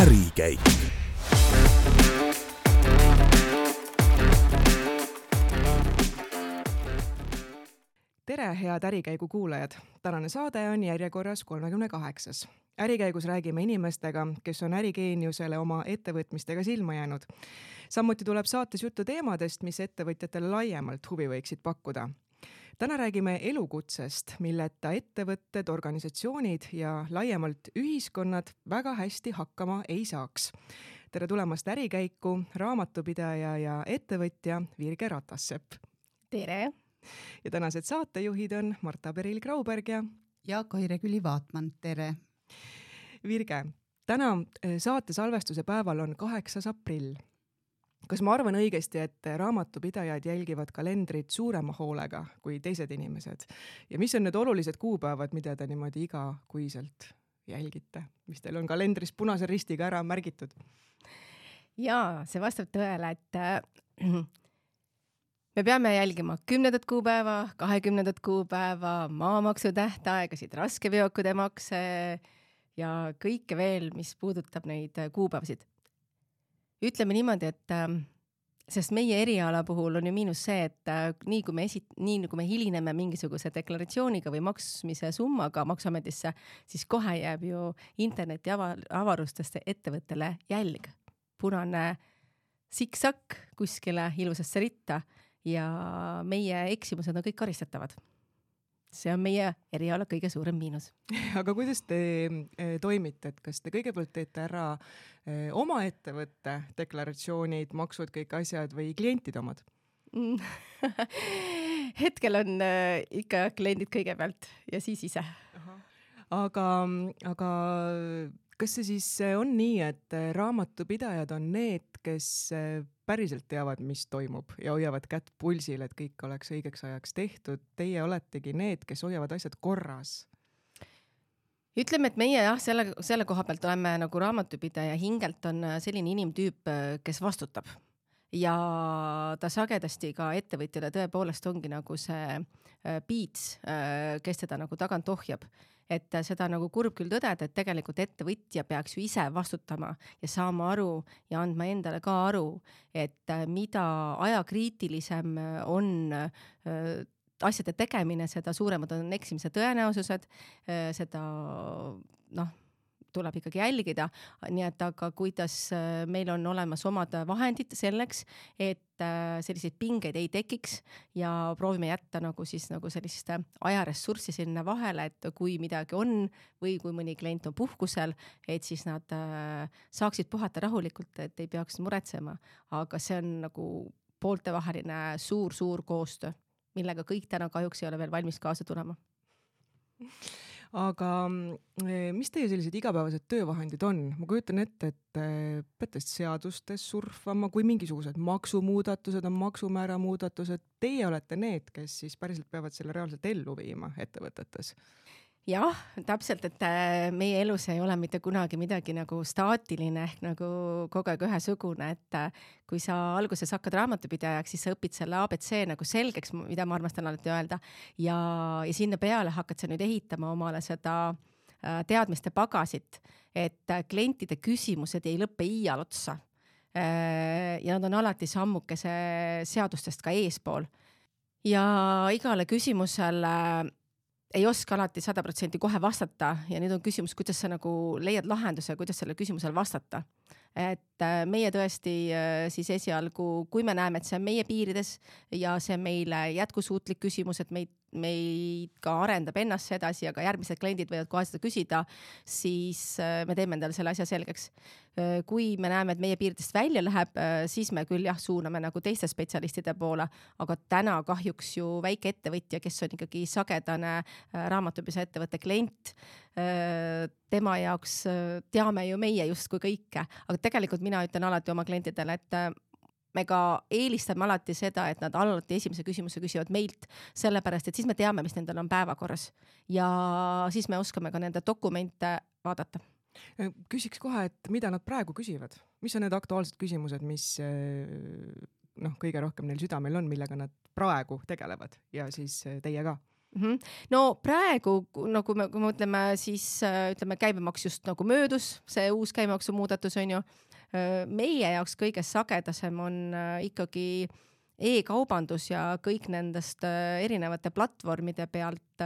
ärikäik. Tere, head ärikäigu kuulajad! Tänane saade on järjekorras 38. Ärikäigus räägime inimestega, kes on ärigeeniusele oma ettevõtmistega silma jäänud. Samuti tuleb saates juttu teemadest, mis ettevõtjatele laiemalt huvi võiksid pakkuda. Täna räägime elukutsest, milleta ettevõtted, organisatsioonid ja laiemalt ühiskonnad väga hästi hakkama ei saaks. Tere tulemast ärikäiku, raamatupidaja ja ettevõtja Virge Ratassepp. Tere! Ja tänased saatejuhid on Marta Peril-Grauberg ja Kaire Küli-Vaatman. Tere! Virge, täna saate salvestuse päeval on 8. aprill. Kas ma arvan õigesti, et raamatupidajad jälgivad kalendrit suurema hoolega kui teised inimesed? Ja mis on need olulised kuupäevad, mida te niimoodi igakuiselt jälgite? Mis teil on kalendris punase ristiga ära märgitud? Jaa, see vastab tõele, et me peame jälgima 10. kuupäeva, 20. kuupäeva, maamaksu tähtaegasid, raskeveokide makse ja kõike veel, mis puudutab neid kuupäevasid. Ütleme niimoodi, et sest meie eriala puhul on ju miinus see, et nii kui me hilineme mingisuguse deklaratsiooniga või maksmise summaga Maksuametisse, siis kohe jääb ju interneti avarustest ettevõttele jälg. Punane siksak kuskile ilusasse ritta ja meie eksimused on kõik karistatavad. See on meie eriala kõige suurem miinus. Aga kuidas te toimite? Et kas te kõigepealt teete ära oma ettevõtte deklaratsioonid, maksud, kõik asjad või klientide omad? Hetkel on ikka kliendid kõigepealt ja siis ise. Aga kas see siis on nii, et raamatupidajad on need, kes päriselt teavad, mis toimub ja hoiavad kätt pulsil, et kõik oleks õigeks ajaks tehtud? Teie oletegi need, kes hoiavad asjad korras. Ütleme, et meie selle koha pealt oleme nagu raamatupidaja hingelt on selline inimtüüp, kes vastutab. Ja ta sagedasti ka ettevõtjale tõepoolest ongi nagu see piits, kes teda nagu tagant ohjab. Et seda nagu kurb küll tõdeda, et tegelikult ettevõtja peaks ju ise vastutama ja saama aru ja andma endale ka aru, et mida ajakriitilisem on asjade tegemine, seda suuremad on eksimise tõenäosused, seda tuleb ikkagi jälgida, nii et aga kuidas meil on olemas omad vahendid selleks, et selliseid pingeid ei tekiks ja proovime jätta nagu sellist ajaressurssi sinna vahele, et kui midagi on või kui mõni klient on puhkusel, et siis nad saaksid puhata rahulikult, et ei peaks muretsema. Aga see on nagu pooltevaheline suur koostöö, millega kõik täna kahjuks ei ole veel valmis kaasa tulema. Aga mis teie sellised igapäevased töövahendid on? Ma kujutan ette, et peate seadustes surfama, kui mingisugused maksumuudatused on maksumäära muudatused. Teie olete need, kes siis päriselt peavad selle reaalselt ellu viima ettevõtetes. Jah, täpselt, et meie elus ei ole mitte kunagi midagi nagu staatiline ehk nagu kogu aeg ühesugune, et kui sa alguses hakkad raamatupidajaks, siis sa õpid selle ABC nagu selgeks, mida ma armastan alati öelda ja sinna peale hakkad sa nüüd ehitama omale seda teadmiste pagasit, et klientide küsimused ei lõppe iial otsa ja nad on alati sammukese seadustest ka eespool ja igale küsimusele ei oska alati 100% kohe vastata ja nüüd on küsimus, kuidas sa nagu leiad lahenduse, kuidas selle küsimusele vastata. Et meie tõesti siis esialgu, kui me näeme, et see on meie piirides ja see on meile jätkusuutlik küsimus, et meid ka arendab ennast edasi ja ka järgmised kliendid võivad kohe seda küsida, siis me teeme endale selle asja selgeks. Kui me näeme, et meie piiridest välja läheb, siis me küll suuname nagu teiste spetsialistide poole, aga täna kahjuks ju väike ettevõtja, kes on ikkagi sagedane raamatupidajate ettevõtte klient, tema jaoks teame ju meie justkui kõike, aga tegelikult mina ütlen alati oma klientidele, et me ka eelistame alati seda, et nad alati esimese küsimuse küsivad meilt, sellepärast, et siis me teame, mis nendel on päevakorras ja siis me oskame ka nende dokumente vaadata. Küsiks kohe, et mida nad praegu küsivad? Mis on need aktuaalsed küsimused, mis kõige rohkem neil südamel on, millega nad praegu tegelevad ja siis teie ka? No praegu, no kui me ütleme, siis ütleme käibemaks just nagu möödus, see uus käibemaksu muudatus on ju, meie jaoks kõige sagedasem on ikkagi e-kaubandus ja kõik nendest erinevate platvormide pealt,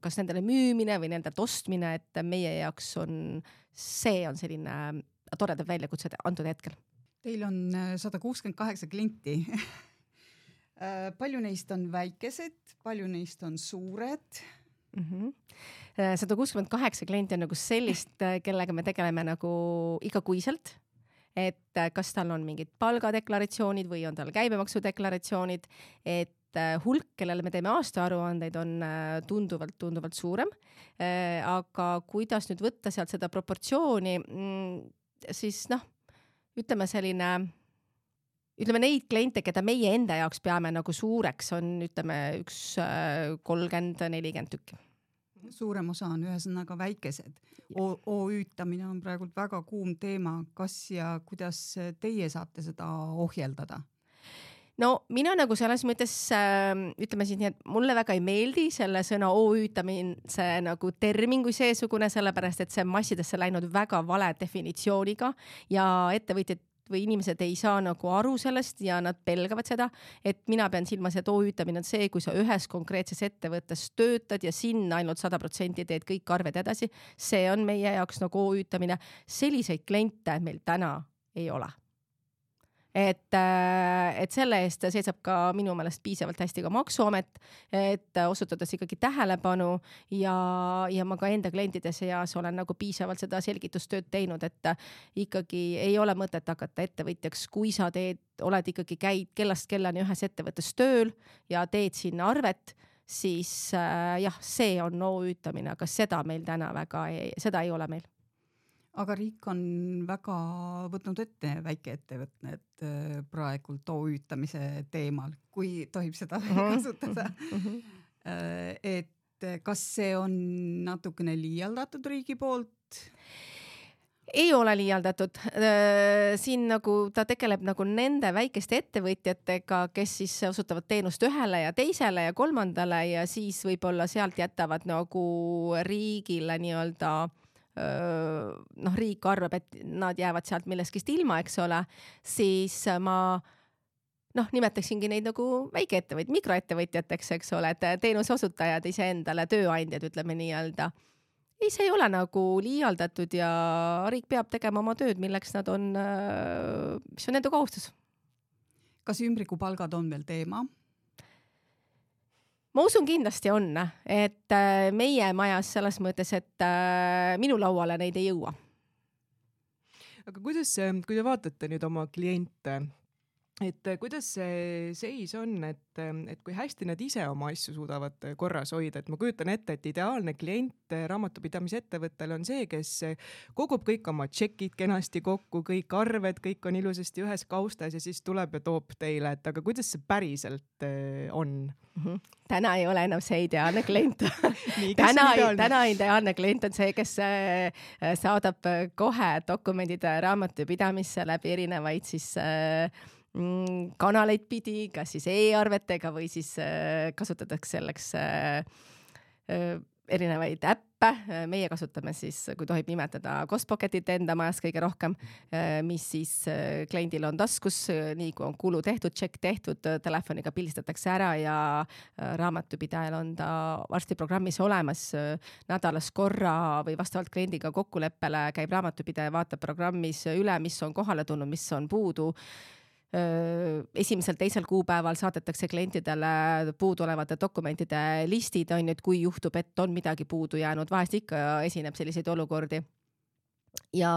kas nendele müümine või nendelt ostmine, et meie jaoks see on selline toredad väljakutsed antud hetkel. Teil on 168 klienti. Palju neist on väikesed, palju neist on suured? 168 klienti on nagu sellist, kellega me tegeleme nagu igakuiselt, et kas tal on mingid palgadeklaratsioonid või on tal käibemaksudeklaratsioonid, et hulk, kellele me teeme aastaaruandeid, on tunduvalt suurem. Aga kuidas nüüd võtta sealt seda proportsiooni, siis ütleme neid kliente, keda meie enda jaoks peame nagu suureks, on üks 30-40 tükki. Suurem osa on ühesõnaga väikesed. OÜtamine on praegu väga kuum teema. Kas ja kuidas teie saate seda ohjeldada? No mina nagu selles mõttes, ütleme siis nii, et mulle väga ei meeldi selle sõna OÜtamise nagu termin kui seesugune, sellepärast et see on massidesse läinud väga vale definitsiooniga ja ettevõtjad või inimesed ei saa nagu aru sellest ja nad pelgavad seda, et mina pean silmas, et OÜtamine on see, kui sa ühes konkreetses ettevõttes töötad ja sinna ainult 100% teed kõik arved edasi. See on meie jaoks nagu OÜtamine. Selliseid kliente meil täna ei ole. Et selle eest seisab ka minu meelest piisavalt hästi ka Maksuamet, et osutades ikkagi tähelepanu ja ma ka enda klientide seas olen nagu piisavalt seda selgitustööd teinud, et ikkagi ei ole mõtet hakata ettevõtjaks, kui sa oled ikkagi käid kellast kellani ühes ettevõttes tööl ja teed sinna arvet, siis jah, see on OÜtamine, aga seda meil täna seda ei ole meil. Aga riik on väga võtnud ette väikeettevõtted praegult OÜtamise teemal, kui tohib seda kasutada. Et kas see on natukene liialdatud riigi poolt? Ei ole liialdatud. Siin nagu ta tegeleb nagu nende väikeste ettevõtjatega, kes siis osutavad teenust ühele ja teisele ja kolmandale ja siis võib-olla sealt jätavad nagu riigile nii-öelda riik arvab, et nad jäävad sealt milleskist ilma, eks ole, siis ma nimetaksingi neid nagu väikeettevõtjad, mikroettevõtjateks, eks ole, et teenuse osutajad iseendale, tööandjad, ütleme nii-öelda. Ei, see ei ole nagu liialdatud ja riik peab tegema oma tööd, milleks nad on, mis on nende kohustus. Kas ümbrikupalgad on veel teema? Ma usun kindlasti on, et meie majas selles mõttes, et minu lauale neid ei jõua. Aga kui te vaatate nüüd oma kliente, et kuidas see seis on, et kui hästi nad ise oma asju suudavad korras hoida, et ma kujutan ette, et ideaalne klient raamatupidamise ettevõttel on see, kes kogub kõik oma tšekid kenasti kokku, kõik arved, kõik on ilusasti ühes kaustas ja siis tuleb ja toob teile, et aga kuidas see päriselt on? Täna ei ole enam see ideaalne klient. Täna ideaalne klient on see, kes saadab kohe dokumendid raamatupidamisse läbi erinevaid siis kanaleid pidi, kas siis e-arvetega või siis kasutatakse selleks erinevaid äppe. Meie kasutame siis, kui tohib nimetada, Costpocketit enda majas kõige rohkem, mis siis kliendil on taskus, nii kui on kulu tehtud, tšekk tehtud, telefoniga pildistatakse ära ja raamatupidajal on ta varsti programmis olemas nädalas korra või vastavalt kliendiga kokkuleppele käib raamatupidaja, vaatab programmis üle, mis on kohale tulnud, mis on puudu. Esimesel, teisel kuupäeval saadetakse klientidele puudolevate dokumentide listid, on nüüd, kui juhtub, et on midagi puudu jäänud, vahest ikka esineb selliseid olukordi. Ja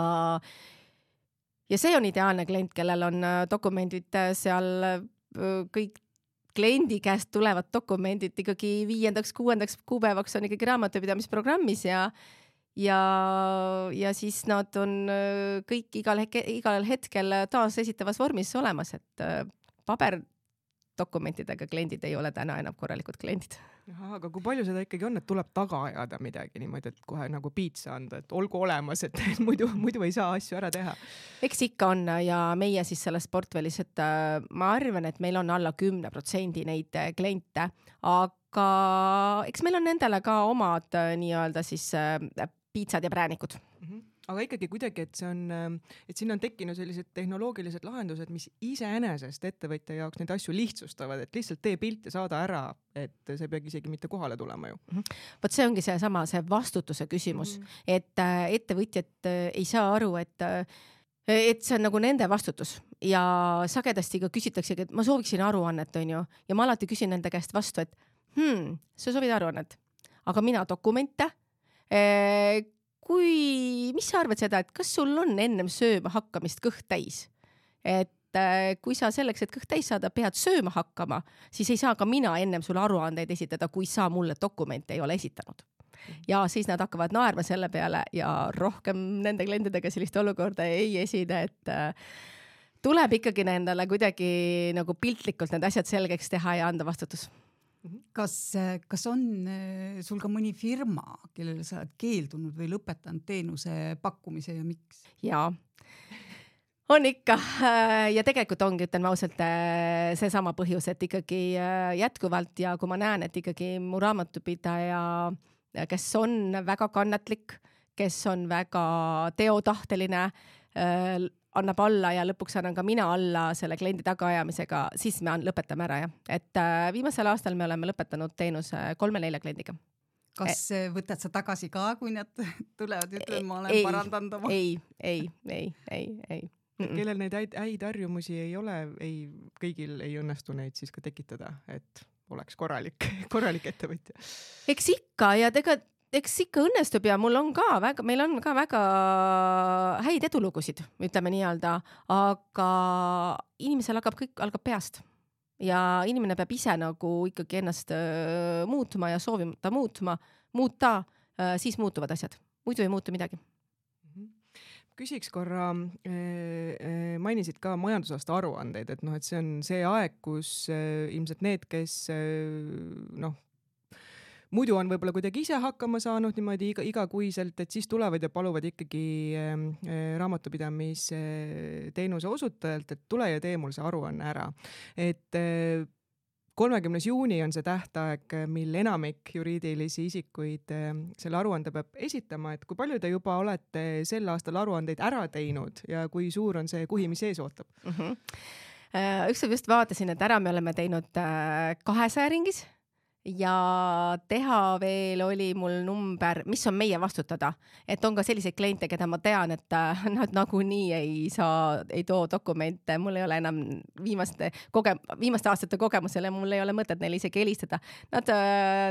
see on ideaalne klient, kellel on dokumendid seal kõik kliendi käest tulevad dokumendid ikkagi 5., 6. kuupäevaks on ikkagi raamatupidamisprogrammis ja siis nad on kõik igal hetkel taas esitavas vormis olemas, et dokumentidega kliendid ei ole täna enam korralikud kliendid. Aga kui palju seda ikkagi on, et tuleb taga ajada midagi niimoodi, et kohe nagu piitsa anda, et olgu olemas, et muidu ei saa asju ära teha? Eks ikka on ja meie siis selles portfellis, et ma arvan, et meil on alla 10% neid kliente, aga eks meil on nendele ka omad nii-öelda siis piitsad ja präänikud. Aga ikkagi kuidagi, et siin on tekkinud sellised tehnoloogilised lahendused, mis iseenesest ettevõtja jaoks neid asju lihtsustavad, et lihtsalt tee pilt ja saada ära, et see peagi isegi mitte kohale tulema ju. Vot see ongi see vastutuse küsimus, et ettevõtjad ei saa aru, et see on nagu nende vastutus ja sagedasti ka küsitaksegi, et ma sooviksin aruannet, on ju, ja ma alati küsin nende käest vastu, et sa soovid aruannet, aga mina dokumente, mis sa arvad seda, et kas sul on ennem sööma hakkamist kõht täis? Et kui sa selleks, et kõht täis saada, pead sööma hakkama, siis ei saa ka mina ennem sulle aruandeid esitada, kui sa mulle dokumente ei ole esitanud. Ja siis nad hakkavad naerma selle peale ja rohkem nende klientidega sellist olukorda ei esine, et tuleb ikkagi nendele kuidagi nagu piltlikult need asjad selgeks teha ja anda vastutus. Kas on sul ka mõni firma, kellele sa oled keeldunud või lõpetanud teenuse pakkumise ja miks? Jaa, on ikka ja tegelikult ongi, ütlen ausalt, seesama põhjus, et ikkagi jätkuvalt ja kui ma näen, et ikkagi mu raamatupidaja, kes on väga kannatlik, kes on väga teotahteline, annab alla ja lõpuks annan ka mina alla selle kliendi tagaajamisega, siis me lõpetame ära. Et viimasel aastal me oleme lõpetanud teenuse 3-4 kliendiga. Kas võtad sa tagasi ka, kui nad tulevad, ütlen, ma olen parandanud oma? Ei. Kellel neid häid harjumusi ei ole, kõigil ei õnnestu neid siis ka tekitada, et oleks korralik ettevõtja. Eks ikka ja eks ikka õnnestub ja meil on ka väga häid edulugusid, ütleme nii-öelda, aga inimesel kõik algab peast ja inimene peab ise nagu ikkagi ennast muutma ja soovimata muuta, siis muutuvad asjad, muidu ei muutu midagi. Küsiks korra, mainisid ka majandusaasta aruandeid, et see on see aeg, kus ilmselt need, kes muidu on võib-olla kuidagi ise hakkama saanud niimoodi igakuiselt, et siis tulevad ja paluvad ikkagi raamatupidamisteenuse osutajalt, et tule ja tee mul see aruanne ära. Et 30. juuni on see tähtaeg, mil enamik juriidilisi isikuid selle aruande peab esitama, et kui palju te juba olete sel aastal aruandeid ära teinud ja kui suur on see kuhi, mis ees ootab? Ükskord just vaatasin, et ära me oleme teinud 200 ringis ja teha veel oli mul number, mis on meie vastutada, et on ka selliseid kliente, keda ma tean, et nad nagunii ei too dokumente, mul ei ole enam viimaste aastate kogemusele, mul ei ole mõtet neile isegi helistada. Nad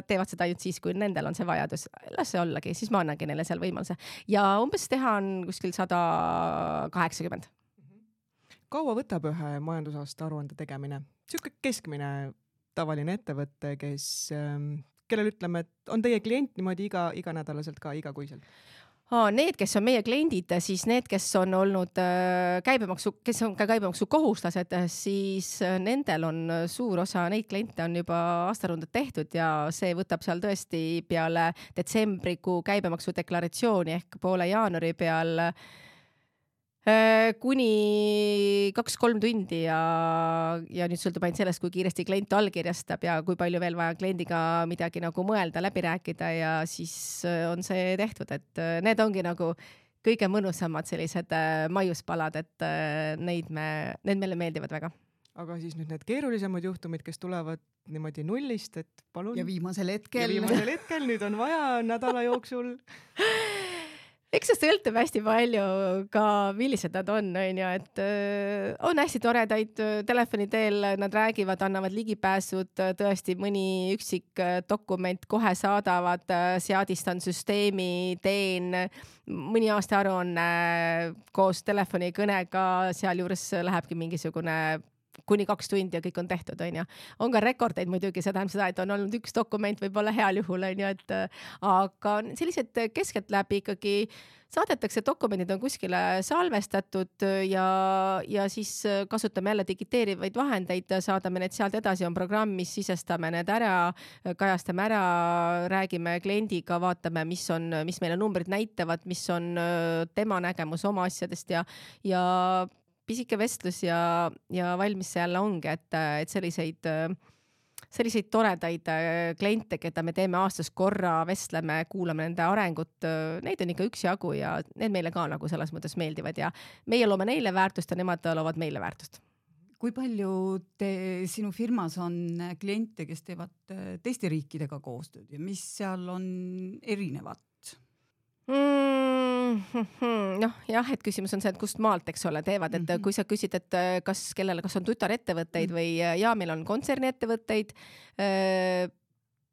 teevad seda ainult siis, kui nendel on see vajadus. Las see ollagi, siis ma annangi neile seal võimaluse. Ja umbes teha on kuskil 180. Kaua võtab ühe majandusaasta aruande tegemine? Siuke keskmine tavaline ettevõtte, kellel ütleme, et on teie klient niimoodi iganädalaselt ka igakuiselt? Need, kes on meie kliendid, siis need, kes on olnud kes on ka käibemaksu kohuslased, siis nendel on suur osa, neid kliente on juba aastarundad tehtud ja see võtab seal tõesti peale detsembrikuu käibemaksu deklaratsiooni ehk poole jaanuari peal kuni 2-3 tundi ja nüüd sõltub ainult sellest, kui kiiresti klient allkirjastab ja kui palju veel vaja kliendiga midagi nagu mõelda, läbi rääkida ja siis on see tehtud, et need ongi nagu kõige mõnusamad sellised maiuspalad, et need meile meeldivad väga. Aga siis nüüd need keerulisemad juhtumid, kes tulevad niimoodi nullist, et palun. Ja viimasel hetkel, nüüd on vaja nädala jooksul. Eks see sõltub hästi palju ka, millised nad on ju, et on hästi toredaid telefoni teel, nad räägivad, annavad ligipääsud, tõesti mõni üksik dokument kohe saadavad, seadistan süsteemi, teen mõni aasta aruanne koos telefonikõnega, seal juures lähebki mingisugune kuni 2 tundi ja kõik on tehtud, on ju. On ka rekordeid muidugi, see tähendab seda, et on olnud 1 dokument võib-olla heal juhul, on ju, et aga sellised keskeltläbi ikkagi saadetakse, dokumendid on kuskile salvestatud ja siis kasutame jälle digiteerivaid vahendeid, saadame need sealt edasi, on programm, mis sisestame need ära, kajastame ära, räägime kliendiga, vaatame, mis meile numbrid näitavad, mis on tema nägemus oma asjadest ja pisike vestlus ja valmis see jälle ongi, et selliseid toredaid kliente, keda me teeme aastas korra, vestleme, kuulame nende arengut, neid on ikka üksjagu ja need meile ka nagu selles mõttes meeldivad ja meie loome neile väärtust ja nemad loovad meile väärtust. Kui palju sinu firmas on kliente, kes teevad teiste riikidega koostööd ja mis seal on erinevat? Noh, jah, et küsimus on see, et kust maalt, eks ole, teevad, et kui sa küsid, et kas on tütarettevõtteid või meil on kontserniettevõtteid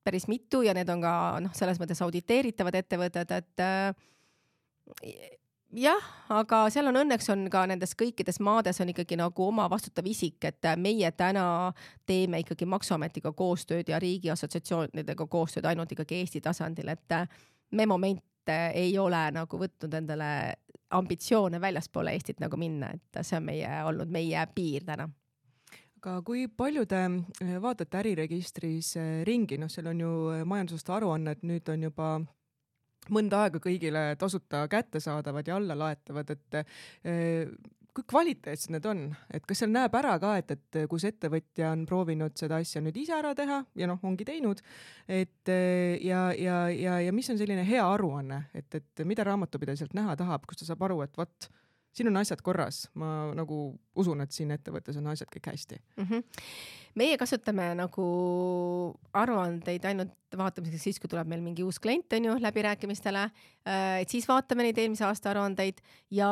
päris mitu ja need on ka selles mõttes auditeeritavad ettevõtted, et jah, aga seal on õnneks on ka nendes kõikides maades on ikkagi nagu oma vastutav isik, et meie täna teeme ikkagi Maksuametiga koostööd ja riigi assotsiatsioonidega koostööd ainult ikkagi Eesti tasandil, et me moment ei ole nagu võtnud endale ambitsioone väljaspoole Eestit nagu minna, et see on olnud meie piir täna. Aga kui palju te vaatate äriregistris ringi, seal on ju majandusaasta aruanned, nüüd on juba mõnda aega kõigile tasuta kättesaadavad ja alla laetavad, et kui kvaliteetsed need on, et kas seal näeb ära ka, et kus ettevõtja on proovinud seda asja nüüd ise ära teha ja ongi teinud, et ja mis on selline hea aruanne, et mida raamatupidaja sealt näha tahab, kus ta saab aru, et vot, siin on asjad korras, ma nagu usun, et siin ettevõttes on asjad kõik hästi. Meie kasutame nagu aruandeid ainult vaatamiseks siis, kui tuleb meil mingi uus klient on ju läbirääkimistele, et siis vaatame neid eelmise aasta aruandeid ja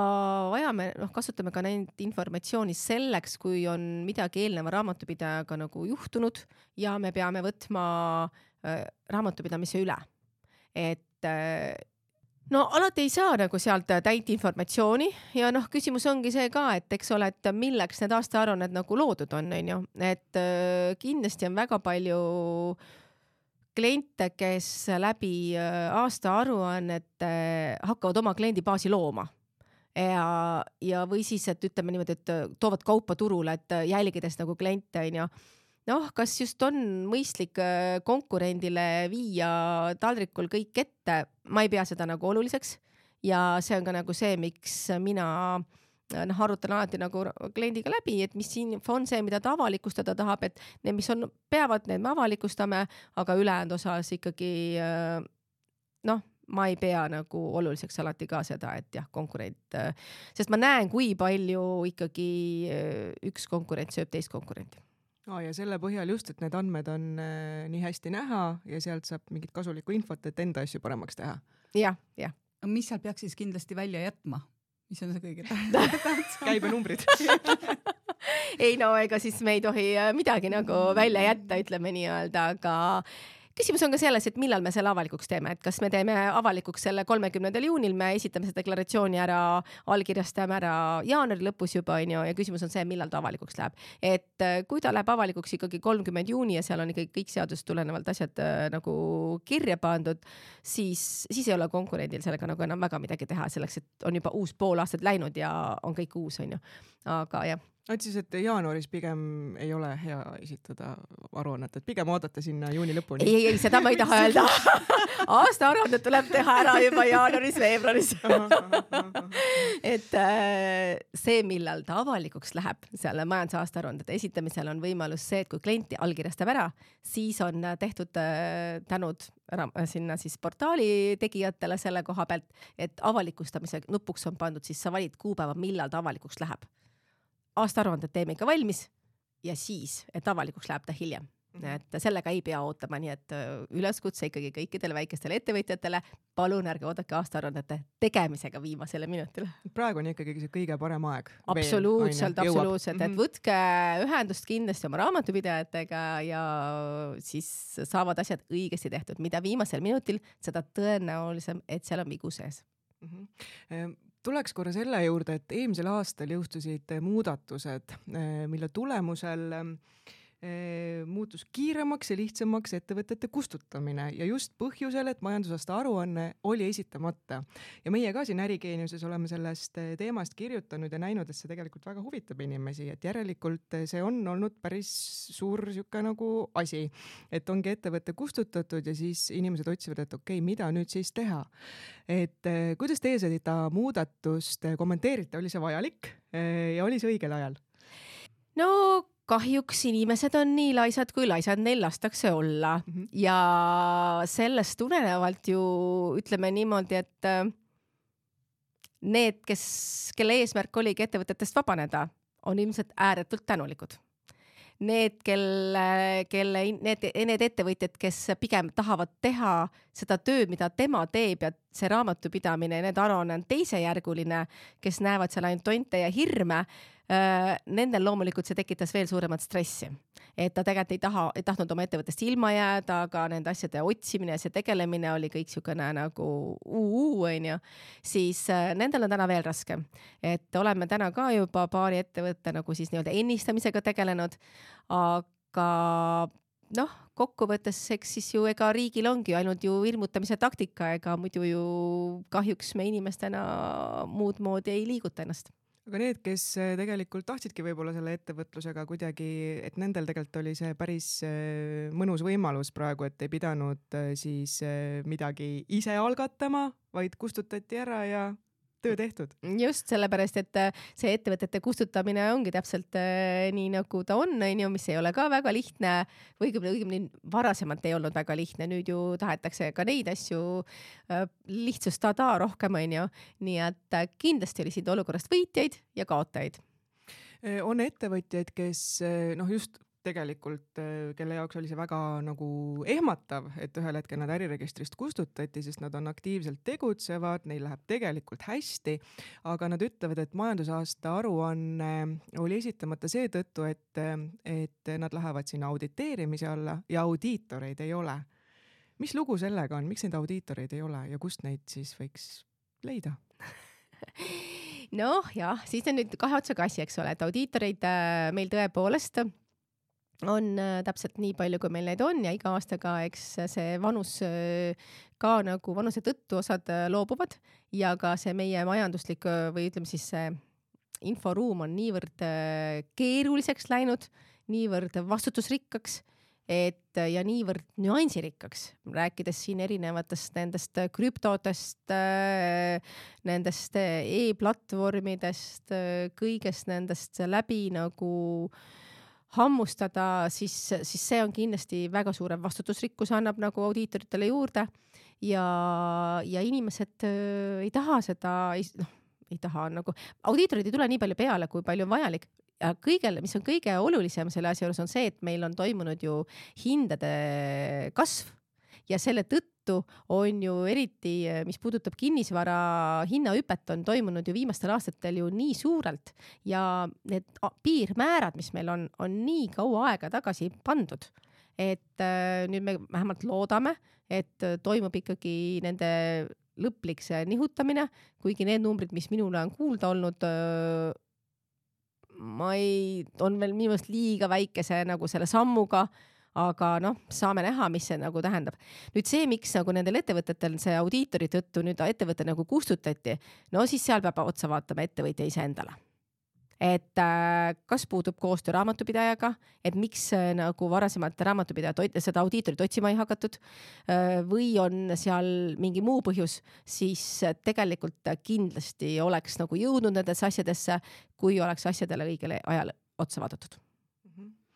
kasutame ka neid informatsiooni selleks, kui on midagi eelneva raamatupidajaga nagu juhtunud ja me peame võtma raamatupidamise üle. Et alati ei saa nagu sealt täit informatsiooni ja küsimus ongi see ka, et eks ole, et milleks need aastaaruanned nagu loodud on ju, et kindlasti on väga palju kliente, kes läbi aastaaruannet hakkavad oma kliendibaasi looma ja või siis, et ütleme niimoodi, et toovad kaupa turule, et jälgides nagu kliente on ju. Kas just on mõistlik konkurendile viia taldrikul kõik ette, ma ei pea seda nagu oluliseks ja see on ka nagu see, miks mina arutan alati nagu kliendiga läbi, et mis info on see, mida ta avalikustada tahab, et need, mis on, peavad, need me avalikustame, aga ülejäänud osas ikkagi ma ei pea nagu oluliseks alati ka seda, et jah, konkurent, sest ma näen, kui palju ikkagi üks konkurent sööb teist konkurenti. Ja selle põhjal just, et need andmed on nii hästi näha ja sealt saab mingit kasulikku infot, et enda asju paremaks teha. Jah. Mis seal peaks siis kindlasti välja jätma? Mis on see kõige tähtsam? Käibenumbrid. Ei ega siis me ei tohi midagi nagu välja jätta, ütleme nii-öelda, aga küsimus on ka selles, et millal me selle avalikuks teeme, et kas me teeme avalikuks selle 30. juunil, me esitame seda deklaratsiooni ära, allkirjastame ära jaanuari lõpus juba ja küsimus on see, millal ta avalikuks läheb. Et kui ta läheb avalikuks ikkagi 30. juuni ja seal on ikkagi kõik seadust tulenevalt asjad nagu kirja pandud, siis ei ole konkurendil sellega nagu enam väga midagi teha selleks, et on juba uus pool aastat läinud ja on kõik uus, on ju. Aga jah. Siis, et jaanuaris pigem ei ole hea esitada aruannet, et pigem oodata sinna juuni lõpuni. Ei, seda ma ei taha öelda. Aasta aruannet tuleb teha ära juba jaanuaris, veebruaris. Et see, millal ta avalikuks läheb, selle majandusaasta aruandede esitamisel on võimalus see, et kui klienti allkirjastab ära, siis on tehtud tänud sinna siis portaali tegijatele selle koha pealt, et avalikustamise nupuks on pandud, siis sa valid kuupäeva, millal ta avalikuks läheb. Aastaaruanded teeme ikka valmis ja siis, et avalikuks läheb ta hiljem. Et sellega ei pea ootama, nii et üleskutse ikkagi kõikidele väikestele ettevõtjatele, palun ärge oodake aastaaruannete tegemisega viimasele minutile. Praegu on ikkagi see kõige parem aeg. Absoluutselt, et võtke ühendust kindlasti oma raamatupidajatega ja siis saavad asjad õigesti tehtud. Mida viimasel minutil, seda tõenäolisem, et seal on vigu sees. tuleks korra selle juurde, et eelmisel aastal jõustusid muudatused, mille tulemusel muutus kiiremaks ja lihtsamaks ettevõtete kustutamine ja just põhjusel, et majandusaasta aruanne oli esitamata. Ja meie ka siin Ärigeeniuses oleme sellest teemast kirjutanud ja näinud, et see tegelikult väga huvitab inimesi, et järelikult see on olnud päris suur siuke nagu asi, et ongi ettevõtte kustutatud ja siis inimesed otsivad, et okei, mida nüüd siis teha. Et kuidas teie seda muudatust kommenteerite, oli see vajalik ja oli see õigel ajal? No kahjuks inimesed on nii laisad, kui laisad neil lastakse olla. Ja sellest tulenevalt ju ütleme niimoodi, et need, kelle eesmärk oligi ettevõtetest vabaneda, on ilmselt ääretult tänulikud. Need ettevõtjad, kes pigem tahavad teha seda tööd, mida tema teeb ja see raamatupidamine ja need aruanne on teisejärguline, kes näevad seal ainult tonte ja hirme, nendel loomulikult see tekitas veel suuremat stressi. Et ta tegelikult ei tahtnud oma ettevõttest ilma jääda, aga nende asjade otsimine ja see tegelemine oli kõik siukene nagu onju. Siis nendel on täna veel raske. Et oleme täna ka juba paari ettevõtte nagu siis nii-öelda ennistamisega tegelenud, aga kokkuvõttes eks siis ju ega riigil ongi ainult ju ilmutamise taktika, ega muidu ju kahjuks me inimestena muud moodi ei liiguta ennast. Aga need, kes tegelikult tahtsidki võib-olla selle ettevõtlusega kuidagi, et nendel tegelikult oli see päris mõnus võimalus praegu, et ei pidanud siis midagi ise algatama, vaid kustutati ära ja töö tehtud. Just sellepärast, et see ettevõtete kustutamine ongi täpselt nii nagu ta on, mis ei ole ka väga lihtne või õigemini varasemalt ei olnud väga lihtne. Nüüd ju tahetakse ka neid asju lihtsustada rohkem, nii et kindlasti oli siin olukorrast võitjaid ja kaotajaid. On ettevõtjaid, kes just tegelikult, kelle jaoks oli see väga nagu ehmatav, et ühel hetkel nad äriregistrist kustutati, sest nad on aktiivselt tegutsevad, neil läheb tegelikult hästi, aga nad ütlevad, et majandusaasta aruanne oli esitamata seetõttu, et nad lähevad sinna auditeerimise alla ja audiitoreid ei ole. Mis lugu sellega on? Miks neid audiitoreid ei ole ja kust neid siis võiks leida? Jah, siis on nüüd kahe otsaga asi, eks ole, et audiitoreid meil tõepoolest on täpselt nii palju, kui meil neid on ja iga aastaga eks see vanus ka nagu vanuse tõttu osad loobuvad ja ka see meie majanduslik või ütleme siis see inforuum on niivõrd keeruliseks läinud, niivõrd vastutusrikkaks ja niivõrd nüansirikkaks, rääkides siin erinevatest nendest krüptodest, nendest e-platvormidest, kõigest nendest läbi nagu hammustada, siis see on kindlasti väga suure vastutusrikkus annab nagu audiitoritele juurde ja inimesed ei taha seda, ei taha nagu, audiitorid ei tule nii palju peale, kui palju on vajalik. Ja mis on kõige olulisem selle asja juures on see, et meil on toimunud ju hindade kasv ja selle tõttu on ju eriti, mis puudutab kinnisvara hinnahüpet, on toimunud ju viimastel aastatel ju nii suurelt ja need piirmäärad, mis meil on nii kaua aega tagasi pandud, et nüüd me vähemalt loodame, et toimub ikkagi nende lõplik see nihutamine, kuigi need numbrid, mis minule on kuulda olnud, on veel minu meelest liiga väikese nagu selle sammuga, aga saame näha, mis see nagu tähendab. Nüüd see, miks nagu nendel ettevõtetel see audiitori tõttu nüüd ettevõte nagu kustutati, siis seal peab otsa vaatama ettevõtja ise endale. Et kas puudub koostöö raamatupidajaga, et miks nagu varasemalt raamatupidaja seda audiitorit otsima ei hakatud või on seal mingi muu põhjus, siis tegelikult kindlasti oleks nagu jõudnud nendesse asjadesse, kui oleks asjadele õigele ajal otsa vaadatud.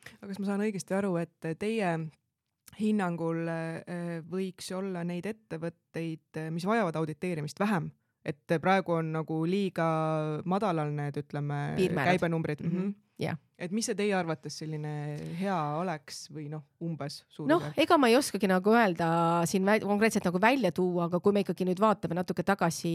Aga kas ma saan õigesti aru, et teie hinnangul võiks olla neid ettevõtteid, mis vajavad auditeerimist vähem? Et praegu on nagu liiga madalal need, ütleme, käibenumbrid. Yeah. Et mis see teie arvates selline hea oleks või umbes suur? Ega ma ei oskagi nagu öelda siin konkreetselt nagu välja tuua, aga kui me ikkagi nüüd vaatame natuke tagasi,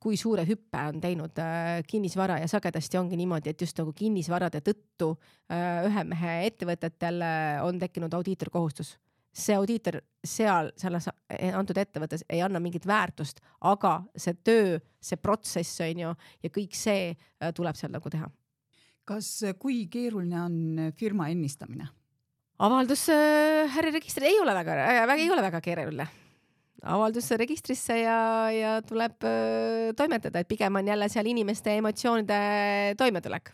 kui suure hüppe on teinud kinnisvara ja sagedasti ongi niimoodi, et just nagu kinnisvarade tõttu ühe mehe ettevõtetel on tekkinud audiitorkohustus. see audiitor selles antud ettevõttes ei anna mingit väärtust, aga see töö, see protsess on ju ja kõik see tuleb seal nagu teha. Kas kui keeruline on firma ennistamine? Avaldus äriregistri ei ole väga keeruline. Avaldus registrisse ja tuleb toimetada, et pigem on jälle seal inimeste emotsioonide toimetulek.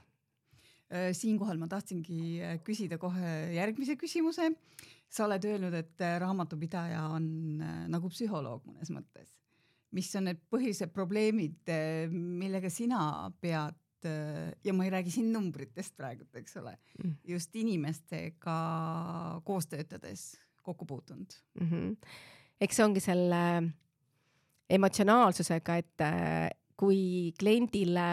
Siinkohal ma tahtsingi küsida kohe järgmise küsimuse. Sa oled öelnud, et raamatupidaja on nagu psühholoog mõnes mõttes. Mis on need põhilised probleemid, millega sina pead, ja ma ei räägi siin numbritest praegu, eks ole, just inimestega koos töötades kokku puutunud? Eks see ongi selle emotsionaalsusega, et kui kliendile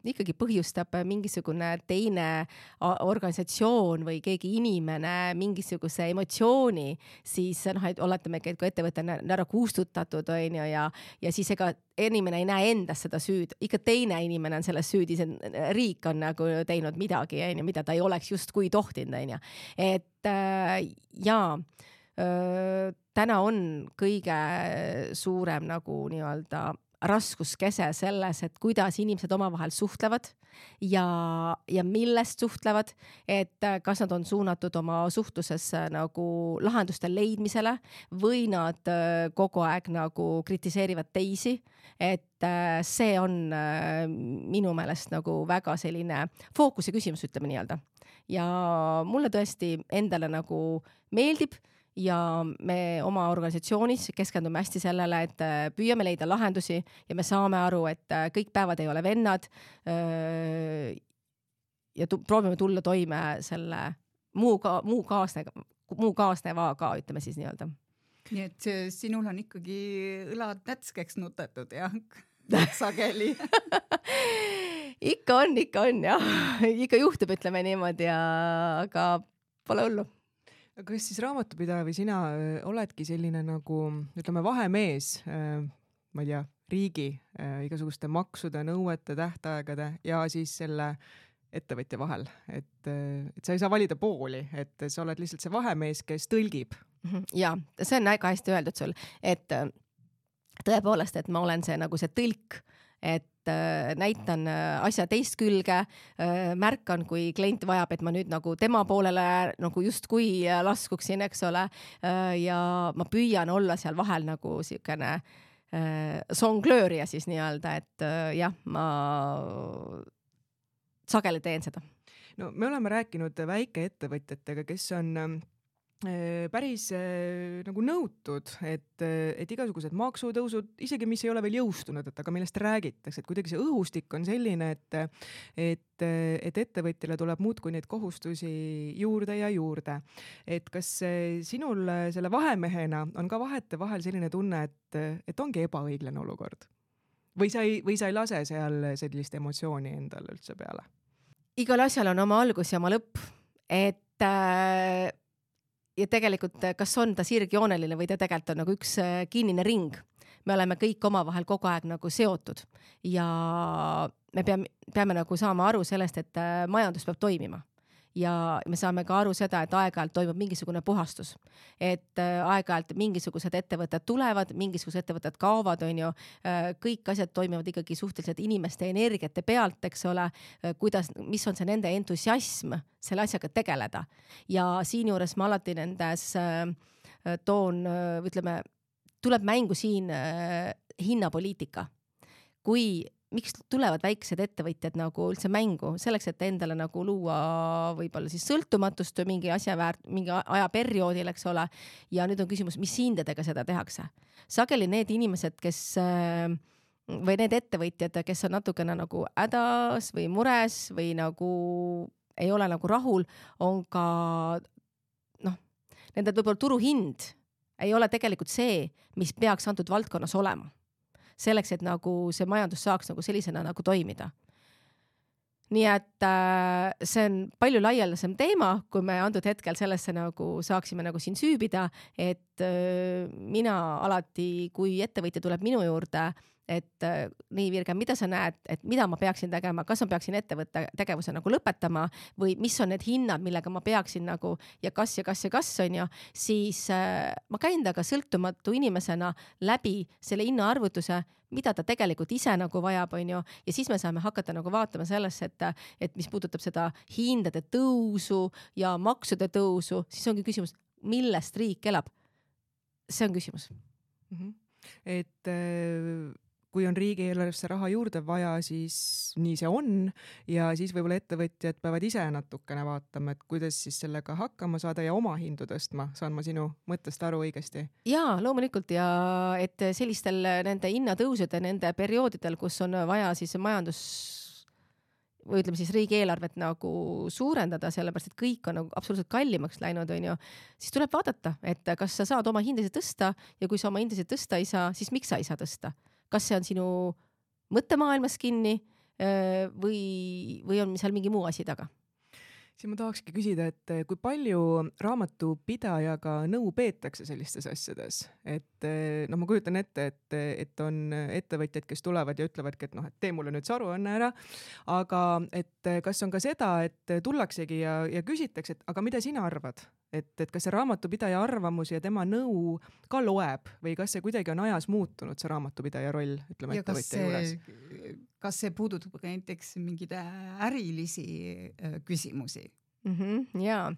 ikkagi põhjustab mingisugune teine organisatsioon või keegi inimene mingisuguse emotsiooni, siis et oletame, et kui ettevõte on ära kustutatud ja siis ega inimene ei näe endas seda süüd, ikka teine inimene on selles süüdi, see riik on nagu teinud midagi, mida ta ei oleks justkui tohtinud. Et täna on kõige suurem nagu nii-öelda raskuskese selles, et kuidas inimesed omavahel suhtlevad ja millest suhtlevad, et kas nad on suunatud oma suhtluses nagu lahenduste leidmisele või nad kogu aeg nagu kritiseerivad teisi, et see on minu meelest nagu väga selline fookuse küsimus, ütleme nii-öelda. Ja mulle tõesti endale nagu meeldib ja me oma organisatsioonis keskendume hästi sellele, et püüame leida lahendusi ja me saame aru, et kõik päevad ei ole vennad ja proovime tulla toime selle muu kaasnevaga, ütleme siis nii-öelda. Nii et sinul on ikkagi õlad nätskeks nutetud ja sageli. Ikka on ja ikka juhtub, ütleme niimoodi, aga pole hullu. Kas siis raamatupidaja või sina oledki selline nagu, ütleme, vahemees, ma ei tea, riigi igasuguste maksude, nõuete, tähtaegade ja siis selle ettevõtja vahel, et sa ei saa valida pooli, et sa oled lihtsalt see vahemees, kes tõlgib? Ja, see on väga hästi öeldud sul, et tõepoolest, et ma olen see nagu see tõlk, et näitan asja teist külge, märkan, kui klient vajab, et ma nüüd nagu tema poolele nagu justkui laskuksin, eks ole, ja ma püüan olla seal vahel nagu siukene songlöörija siis nii-öelda, et jah, ma sageli teen seda. No me oleme rääkinud väikeettevõtjatega, kes on päris nagu nõutud, et igasugused maksutõusud, isegi mis ei ole veel jõustunud, aga millest räägitakse, et kuidagi see õhustik on selline, et ettevõtjale tuleb muudkui neid kohustusi juurde ja juurde. Et kas sinul selle vahemehena on ka vahetevahel selline tunne, et ongi ebaõiglane olukord? Või sa ei lase seal sellist emotsiooni endale üldse peale? Igal asjal on oma algus ja oma lõpp, et ja tegelikult, kas on ta sirgjooneline või ta tegelikult on nagu üks kinnine ring. Me oleme kõik omavahel kogu aeg nagu seotud ja me peame nagu saama aru sellest, et majandus peab toimima. Ja me saame ka aru seda, et aeg-ajalt toimub mingisugune puhastus. Et aeg-ajalt mingisugused ettevõtted tulevad, mingisugused ettevõtted kaovad, on ju. Kõik asjad toimivad ikkagi suhteliselt inimeste energiate pealt, eks ole, mis on see nende entusiasm selle asjaga tegeleda. Ja siin juures ma alati nendes ütleme, tuleb mängu siin hinnapoliitika. Miks tulevad väiksed ettevõtjad nagu üldse mängu? Selleks, et endale nagu luua võib-olla siis sõltumatust mingi ajaperioodil, eks ole. Ja nüüd on küsimus, mis hindadega seda tehakse. Sageli need inimesed, või need ettevõtjad, kes on natukene nagu hädas või mures või nagu ei ole nagu rahul, on ka nende võib-olla turuhind ei ole tegelikult see, mis peaks antud valdkonnas olema. Selleks, et nagu see majandus saaks nagu sellisena nagu toimida. Nii et see on palju laialdasem teema, kui me antud hetkel sellesse nagu saaksime nagu siin süübida, et mina alati, kui ettevõtja tuleb minu juurde, et nii Virge, mida sa näed, et mida ma peaksin tegema, kas ma peaksin ettevõtte tegevuse nagu lõpetama või mis on need hinnad, millega ma peaksin nagu ja kas on ju, siis ma käin taga sõltumatu inimesena läbi selle hinnaarvutuse, mida ta tegelikult ise nagu vajab, on ju, ja siis me saame hakata nagu vaatama sellesse, et mis puudutab seda hindade tõusu ja maksude tõusu, siis ongi küsimus, millest riik elab. See on küsimus. Et kui on riigieelarvesse raha juurde vaja, siis nii see on ja siis võib-olla ettevõtjad peavad ise natukene vaatama, et kuidas siis sellega hakkama saada ja oma hindu tõstma. Saan ma sinu mõttest aru õigesti? Jaa, loomulikult ja et sellistel nende hinnatõusude, nende perioodidel, kus on vaja siis majandus või ütleme siis riigieelarvet nagu suurendada, sellepärast et kõik on nagu absoluutselt kallimaks läinud, on ju, siis tuleb vaadata, et kas sa saad oma hindasid tõsta ja kui sa oma hindasid tõsta ei saa, siis miks sa ei saa tõsta? Kas see on sinu mõttemaailmas kinni või on seal mingi muu asi taga? Siis ma tahakski küsida, et kui palju raamatupidajaga nõu peetakse sellistes asjades, et ma kujutan ette, et on ettevõtjad, kes tulevad ja ütlevadki, et et tee mulle nüüd see aruanne ära, aga et kas on ka seda, et tullaksegi ja küsitakse, et aga mida sina arvad? Et kas see raamatupidaja arvamus ja tema nõu ka loeb või kas see kuidagi on ajas muutunud, see raamatupidaja roll, ütleme ettevõtja juures? Kas see puudutab ka näiteks mingeid ärilisi küsimusi? Jaa,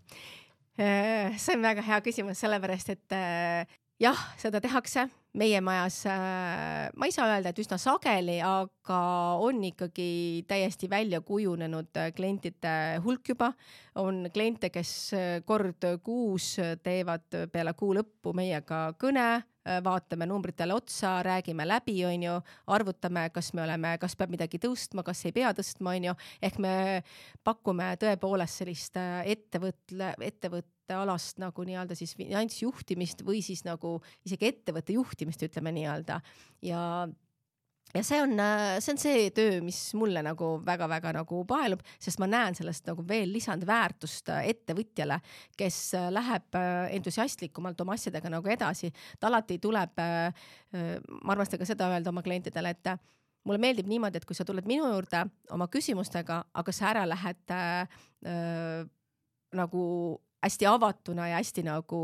see on väga hea küsimus, sellepärast, et jah, seda tehakse meie majas, ma ei saa öelda, et üsna sageli, aga on ikkagi täiesti välja kujunenud klientide hulk juba. On kliente, kes kord kuus teevad peale kuu lõppu meiega kõne, vaatame numbritele otsa, räägime läbi, on ju, arvutame, kas peab midagi tõstma, kas ei pea tõstma, on ju, ehk me pakume tõepoolest sellist ettevõtte alast nagu nii-öelda siis finantsjuhtimist või siis nagu isegi ettevõtte juhtimist, ütleme nii-öelda. Ja see on see töö, mis mulle nagu väga-väga nagu paelub, sest ma näen sellest nagu veel lisandväärtust ettevõtjale, kes läheb entusiastlikumalt oma asjadega nagu edasi. Ta alati tuleb, ma armastan ka seda öelda oma klientidele, et mulle meeldib niimoodi, et kui sa tuled minu juurde oma küsimustega, aga sa ära lähed nagu hästi avatuna ja hästi nagu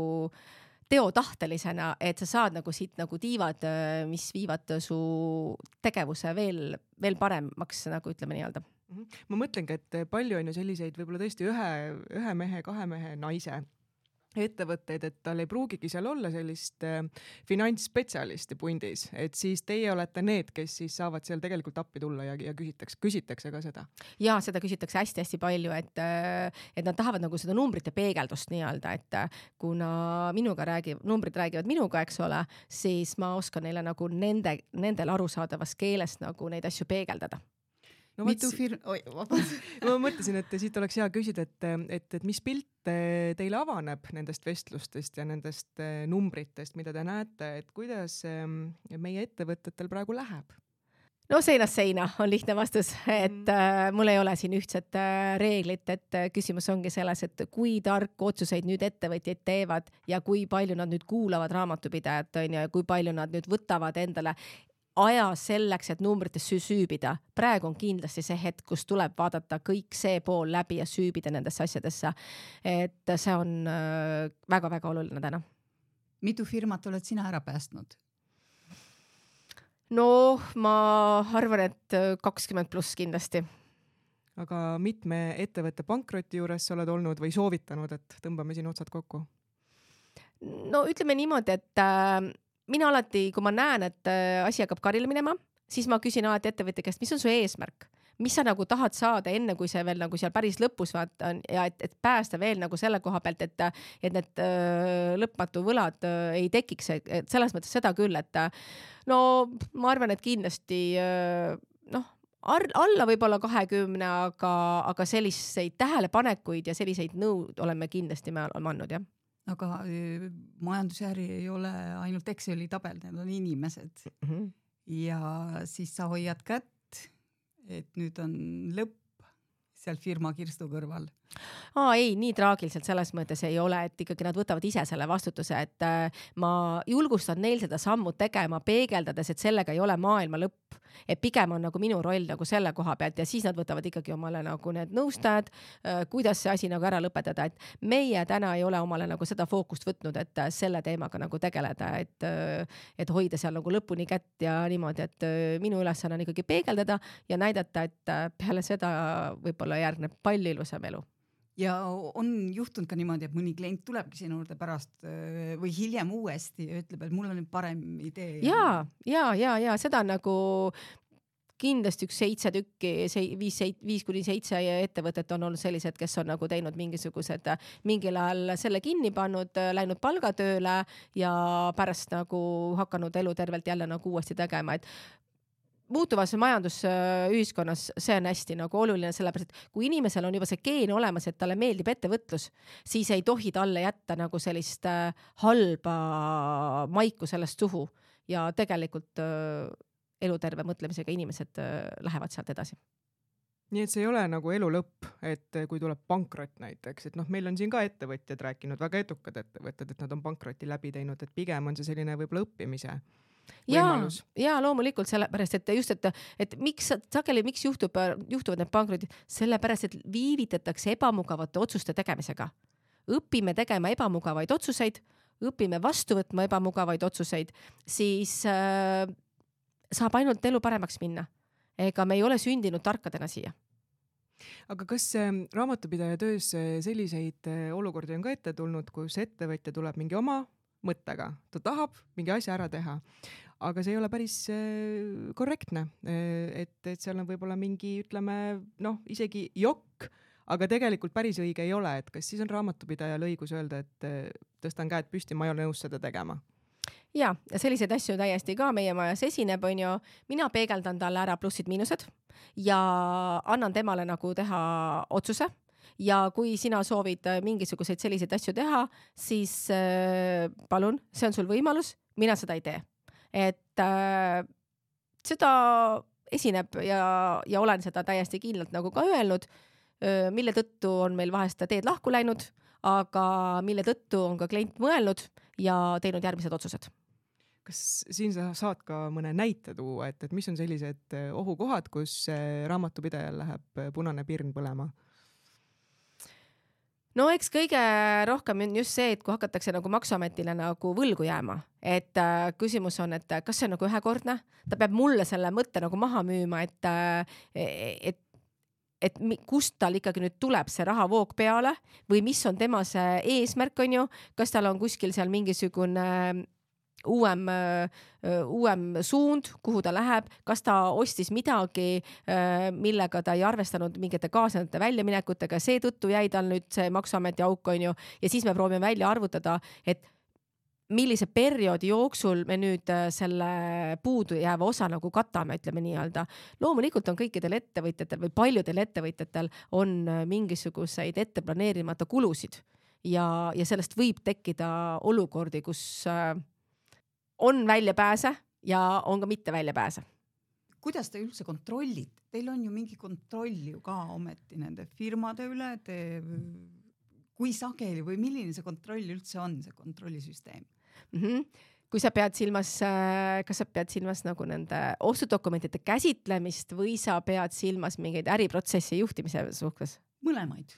teotahtelisena, et sa saad nagu siit nagu tiivad, mis viivad su tegevuse veel paremaks, nagu ütleme nii-öelda. Ma mõtlengi, et palju on ju selliseid võib-olla tõesti ühe mehe, kahe mehe, naise ettevõtteid, et tal ei pruugigi seal olla sellist finantsspetsialisti pundis, et siis teie olete need, kes siis saavad seal tegelikult appi tulla ja küsitakse ka seda. Ja seda küsitakse hästi-hästi palju, et nad tahavad nagu seda numbrite peegeldust nii-öelda, et kuna numbrid räägivad minuga, eks ole, siis ma oskan neile nagu nendel arusaadavas keeles nagu neid asju peegeldada. No, ma mõtlesin, et siit oleks hea küsida, et mis pilt teile avaneb nendest vestlustest ja nendest numbritest, mida te näete, et kuidas meie ettevõtetel praegu läheb? No seinast seina on lihtne vastus, et mul ei ole siin ühtset reeglit, et küsimus ongi selles, et kui tarku otsuseid nüüd ettevõtjaid teevad ja kui palju nad nüüd kuulavad raamatupidajat, on ja kui palju nad nüüd võtavad endale aja selleks, et numbrites süübida. Praegu on kindlasti see hetk, kus tuleb vaadata kõik see pool läbi ja süübida nendesse asjadesse. Et see on väga-väga oluline täna. Mitu firmat oled sina ära päästnud? No, ma arvan, et 20+ kindlasti. Aga mitme ettevõtte pankroti juures sa oled olnud või soovitanud, et tõmbame siin otsad kokku? No ütleme niimoodi, et mina alati, kui ma näen, et asi hakkab karile minema, siis ma küsin alati ettevõtja käest, mis on su eesmärk? Mis sa nagu tahad saada enne, kui see veel nagu seal päris lõpus on ja et päästa veel nagu selle koha pealt, et need lõpmatu võlad ei tekiks, et selles mõttes seda küll, et no ma arvan, et kindlasti alla võib-olla 20, aga selliseid tähelepanekuid ja selliseid nõud oleme kindlasti me andnud, jah. Aga majandusjäri ei ole ainult Exceli tabel, need on inimesed. Ja siis sa hoiad kätt, et nüüd on lõpp seal firma kirstu kõrval. Ei, nii traagiliselt selles mõttes ei ole, et ikkagi nad võtavad ise selle vastutuse, et ma julgustan neil seda sammu tegema, peegeldades, et sellega ei ole maailma lõpp, et pigem on nagu minu roll nagu selle koha pealt ja siis nad võtavad ikkagi omale nagu need nõustajad, kuidas see asi nagu ära lõpetada, et meie täna ei ole omale nagu seda fookust võtnud, et selle teemaga nagu tegeleda, et hoida seal nagu lõpuni kätt ja niimoodi, et minu ülesanne on ikkagi peegeldada ja näidata, et peale seda võib-olla järgneb palju ilusam elu. Ja on juhtunud ka niimoodi, et mõni klient tulebki sinu juurde pärast või hiljem uuesti ja ütleb, et mul on nüüd parem idee. Ja seda on nagu kindlasti üks 7 tükki, 5-7 ettevõtet on olnud sellised, kes on nagu teinud mingisugused mingil ajal selle kinni pannud, läinud palgatööle ja pärast nagu hakanud elu tervelt jälle nagu uuesti tegema, et muutuvas majandusühiskonnas see on hästi nagu oluline, sellepärast, et kui inimesel on juba see geen olemas, et talle meeldib ettevõtlus, siis ei tohi talle jätta nagu sellist halba maiku sellest suhu ja tegelikult eluterve mõtlemisega inimesed lähevad sealt edasi. Nii et see ei ole nagu elu lõpp, et kui tuleb pankrot näiteks, et meil on siin ka ettevõtjad rääkinud, väga edukad ettevõtted, et nad on pankroti läbi teinud, et pigem on see selline võib-olla õppimise võimalus. Ja loomulikult sellepärast, et just, et miks juhtuvad need pankrotid, sellepärast, et viivitatakse ebamugavate otsuste tegemisega. Õpime tegema ebamugavaid otsuseid, õpime vastu võtma ebamugavaid otsuseid, siis saab ainult elu paremaks minna. Ega me ei ole sündinud tarkadena siia. Aga kas raamatupidaja töös selliseid olukordi on ka ette tulnud, kus ettevõtja tuleb mingi oma mõttega, ta tahab mingi asja ära teha, aga see ei ole päris korrektne, et seal on võib-olla mingi, ütleme, isegi jokk, aga tegelikult päris õige ei ole, et kas siis on raamatupidajal õigus öelda, et tõstan käed püsti, ma ei ole nõus seda tegema? Ja selliseid asju täiesti ka meie majas esineb, on ju, mina peegeldan talle ära plussid-miinused ja annan temale nagu teha otsuse. Ja kui sina soovid mingisuguseid selliseid asju teha, siis palun, see on sul võimalus, mina seda ei tee. Et seda esineb ja olen seda täiesti kindlalt nagu ka öelnud, mille tõttu on meil vahest teed lahku läinud, aga mille tõttu on ka klient mõelnud ja teinud järgmised otsused. Kas siin sa saad ka mõne näite tuua, et mis on sellised ohukohad, kus raamatupidajal läheb punane pirn põlema? No eks kõige rohkem on just see, et kui hakatakse nagu Maksuametile nagu võlgu jääma, et küsimus on, et kas see on nagu ühekordne, ta peab mulle selle mõtte nagu maha müüma, et kust tal ikkagi nüüd tuleb see rahavoog peale või mis on tema see eesmärk, on ju, kas tal on kuskil seal mingisugune uuem suund, kuhu ta läheb, kas ta ostis midagi, millega ta ei arvestanud mingite kaasnevate väljaminekutega, seetõttu jäi tal nüüd see Maksuameti auk, on ju, ja siis me proovime välja arvutada, et millise perioodi jooksul me nüüd selle puudu jääva osa nagu katame, ütleme nii-öelda. Loomulikult on kõikidel ettevõtjatel või paljudel ettevõtjatel on mingisuguseid etteplaneerimata kulusid ja sellest võib tekkida olukordi, kus on väljapääse ja on ka mitte väljapääse. Kuidas te üldse kontrollite? Teil on ju mingi kontroll ju ka ometi nende firmade üle, kui sageli või milline see kontroll üldse on, see kontrollisüsteem? Kui sa pead silmas, kas sa pead silmas nagu nende ostudokumentide käsitlemist või sa pead silmas mingeid äriprotsessi juhtimise suhtes? Mõlemaid.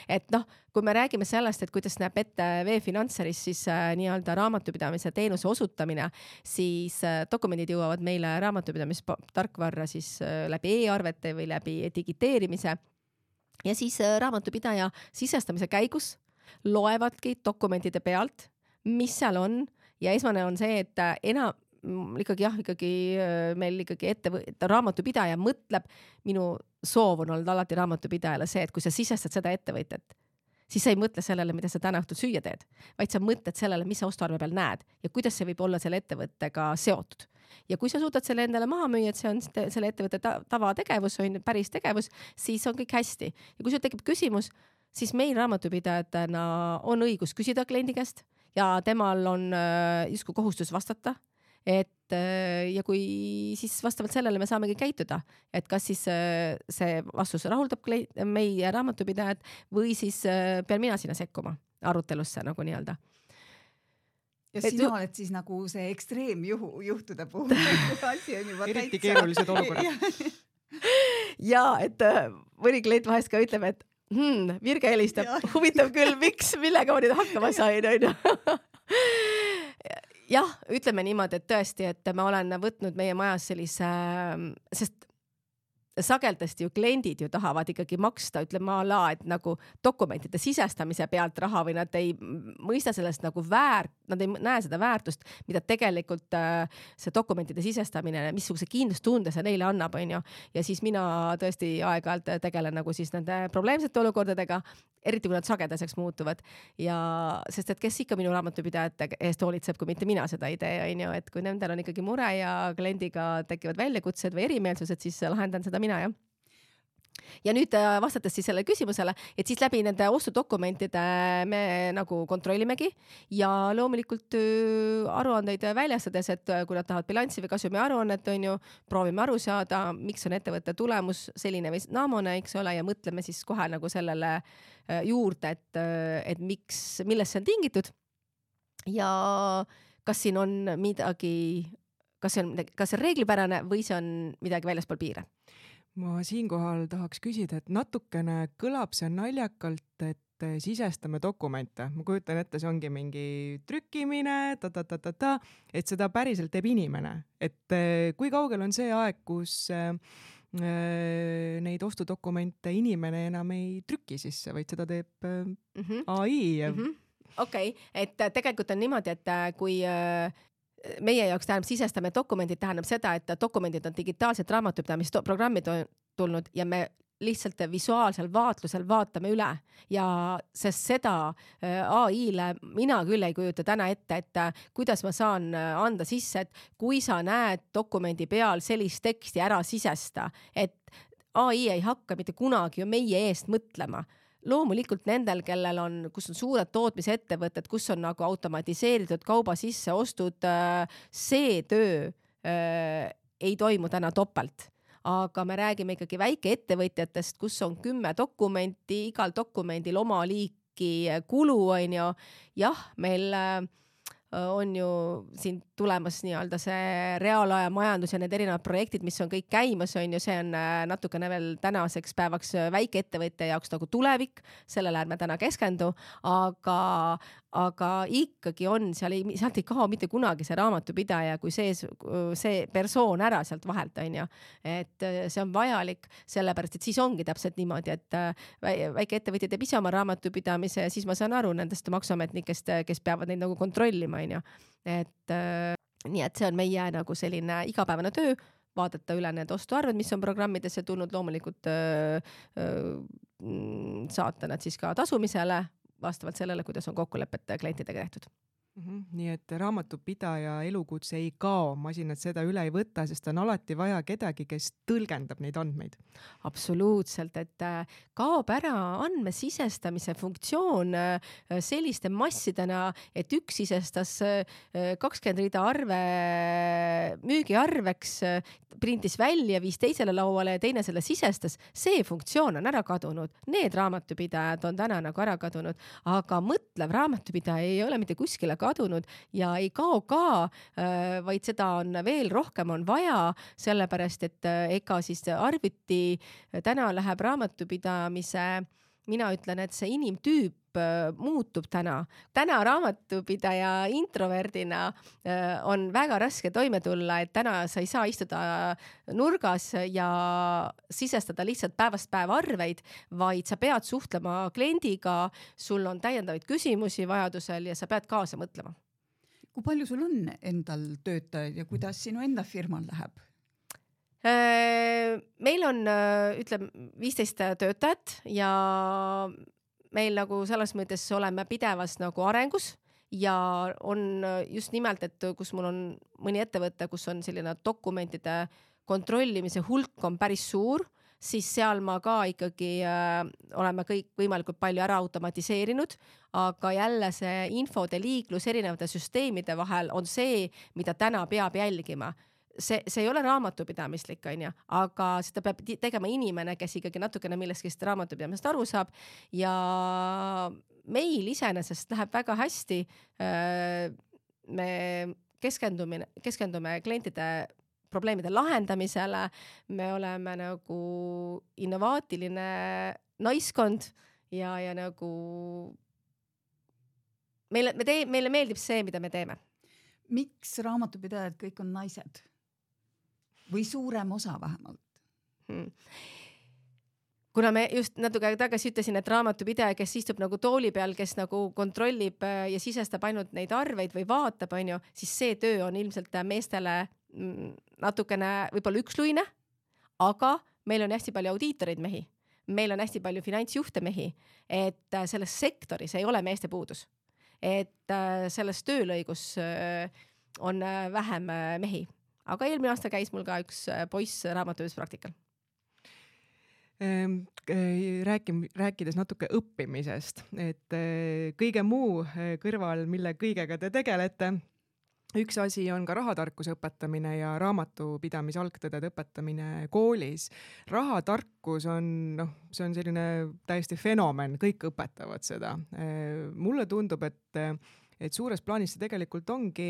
Et kui me räägime sellest, et kuidas näeb ette V-Financeris siis nii-öelda raamatupidamise teenuse osutamine, siis dokumendid jõuavad meile raamatupidamistarkvarra siis läbi e-arvete või läbi digiteerimise ja siis raamatupidaja sisestamise käigus loevadki dokumentide pealt, mis seal on ja esmane on see, et meil ikkagi raamatupidaja mõtleb, minu soov on olnud alati raamatupidajale see, et kui sa sisestad seda ettevõtjat, siis sa ei mõtle sellele, mida sa täna õhtul süüa teed, vaid sa mõtled sellele, mis sa ostuarve peal näed ja kuidas see võib olla selle ettevõttega seotud. Ja kui sa suudad selle endale maha müüa, et see on selle ettevõtte tavategevus, päris tegevus, siis on kõik hästi. Ja kui sul tekib küsimus, siis meil raamatupidajatena on õigus küsida kliendi käest ja temal on justkui kohustus vastata. ja kui siis vastavalt sellele me saamegi käituda, et kas siis see vastus rahuldab meie raamatupidajat või siis pean mina sinna sekkuma arutelusse nagu nii-öelda. Ja sina oled siis nagu see ekstreemjuhtude puhul. Asi on juba eriti keerulised olukorrad. Ja, et mõni klient vahest ka ütleb, et Virge helistab, huvitav küll, millega ma nüüd hakkama sain, on ju. Jah, ütleme niimoodi, et tõesti, et ma olen võtnud meie majas sellise, sest sageldasti ju kliendid ju tahavad ikkagi maksta, ütleme et nagu dokumentide sisestamise pealt raha või nad ei mõista sellest nagu nad ei näe seda väärtust, mida tegelikult see dokumentide sisestamine, missuguse kindlustunde see neile annab, on ju. Ja siis mina tõesti aeg-ajalt tegelen nagu siis nende probleemsete olukordadega, eriti kui nad sagedaseks muutuvad. Ja sest et kes ikka minu raamatupidajate eest hoolitseb, kui mitte mina seda ei tee, on ju, et kui nendel on ikkagi mure ja kliendiga tekivad väljakutsed või erimeelsused, siis lahendan seda mina, jah. Ja nüüd vastates siis selle küsimusele, et siis läbi nende ostudokumentide me nagu kontrollimegi ja loomulikult aruandeid väljastades, et kui nad tahavad bilanssi või kasumi aruannet, on ju, proovime aru saada, miks on ettevõtte tulemus selline või naamune, eks ole, ja mõtleme siis kohe nagu sellele juurde, et millest see on tingitud ja kas siin on midagi, kas see on reeglipärane või see on midagi väljaspool piire. Ma siinkohal tahaks küsida, et natukene kõlab see naljakalt, et sisestame dokumente. Ma kujutan ette, see ongi mingi trükkimine, et seda päriselt teeb inimene. Et kui kaugel on see aeg, kus neid ostudokumente inimene enam ei trüki sisse, vaid seda teeb AI? Okei, et tegelikult on niimoodi, et kui meie jaoks tähendab sisestame dokumendid, tähendab seda, et dokumendid on digitaalsed raamatupidamisprogrammid tulnud ja me lihtsalt visuaalsel vaatlusel vaatame üle ja sest seda AI-le mina küll ei kujuta täna ette, et kuidas ma saan anda sisse, et kui sa näed dokumendi peal sellist teksti ära sisesta, et AI ei hakka mitte kunagi ju meie eest mõtlema. Loomulikult nendel, kellel on, kus on suured tootmisettevõtted, kus on nagu automatiseeritud kauba sisse ostud, see töö ei toimu täna topelt. Aga me räägime ikkagi väikeettevõtjatest, kus on 10 dokumenti, igal dokumendil oma liiki kulu, on ju. Jah, meil on ju siin tulemas nii-öelda see reaalaja majandus ja need erinevad projektid, mis on kõik käimas, on ju, see on natukene veel tänaseks päevaks väikeettevõtja jaoks nagu tulevik, sellele ärme täna keskendu, aga ikkagi on, sealt ei kao mitte kunagi see raamatupidaja, kui see persoon ära sealt vahelt, on ju. Et see on vajalik, sellepärast, et siis ongi täpselt niimoodi, et väikeettevõtja teeb ise oma raamatupidamise ja siis ma saan aru nendest maksuametnikest, kes peavad neid nagu kontrollima, on ju. Et nii, et see on meie nagu selline igapäevane töö, vaadata üle need ostuarved, mis on programmidesse tulnud, loomulikult saata nad siis ka tasumisele vastavalt sellele, kuidas on kokkulepet klientidega tehtud. Nii et raamatupidaja elukutse ei kao, masinad seda üle ei võta, sest on alati vaja kedagi, kes tõlgendab neid andmeid. Absoluutselt, et kaob ära andmesisestamise funktsioon selliste massidena, et üks sisestas 20 rida arve müügiarveks, printis välja, viis teisele lauale ja teine selle sisestas. See funktsioon on ära kadunud. Need raamatupidajad on täna nagu ära kadunud, aga mõtlev raamatupidaja ei ole mitte kuskile kadunud ja ei kao ka, vaid seda on veel rohkem on vaja, sellepärast, et ega siis arvuti täna läheb raamatupidamise, mina ütlen, et see inimtüüp muutub täna. Täna raamatupidaja introverdina on väga raske toime tulla, et täna sa ei saa istuda nurgas ja sisestada lihtsalt päevast päeva arveid, vaid sa pead suhtlema kliendiga, sul on täiendavaid küsimusi vajadusel ja sa pead kaasa mõtlema. Kui palju sul on endal töötajaid ja kuidas sinu enda firmal läheb? Meil on, ütleme, 15 töötajat ja meil nagu selles mõttes oleme pidevas nagu arengus ja on just nimelt, et kus mul on mõni ettevõte, kus on selline dokumentide kontrollimise hulk on päris suur, siis seal ma ka ikkagi oleme kõik võimalikult palju ära automatiseerinud, aga jälle see infode liiklus erinevate süsteemide vahel on see, mida täna peab jälgima. See ei ole raamatupidamislik, on ju, aga seda peab tegema inimene, kes ikkagi natukene millestki raamatupidamisest aru saab ja meil iseenesest läheb väga hästi. Me keskendume klientide probleemide lahendamisele, me oleme nagu innovaatiline naiskond ja nagu meile meeldib see, mida me teeme. Miks raamatupidajad kõik on naised? Või suurem osa vähemalt? Kuna me just natuke tagasi ütlesin, et raamatupidaja, kes istub nagu tooli peal, kes nagu kontrollib ja sisestab ainult neid arveid või vaatab, on ju, siis see töö on ilmselt meestele natukene võib-olla üksluine, aga meil on hästi palju audiitoreid mehi, meil on hästi palju finantsjuhte mehi, et selles sektoris ei ole meeste puudus, et selles töölõigus on vähem mehi. Aga eelmine aasta käis mul ka üks poiss raamatupidamispraktikal. Rääkides natuke õppimisest, et kõige muu kõrval, mille kõigega te tegelete, üks asi on ka rahatarkuse õpetamine ja raamatupidamise algtõdede õpetamine koolis. Rahatarkus on, see on selline täiesti fenomen, kõik õpetavad seda. Mulle tundub, et suures plaanis see tegelikult ongi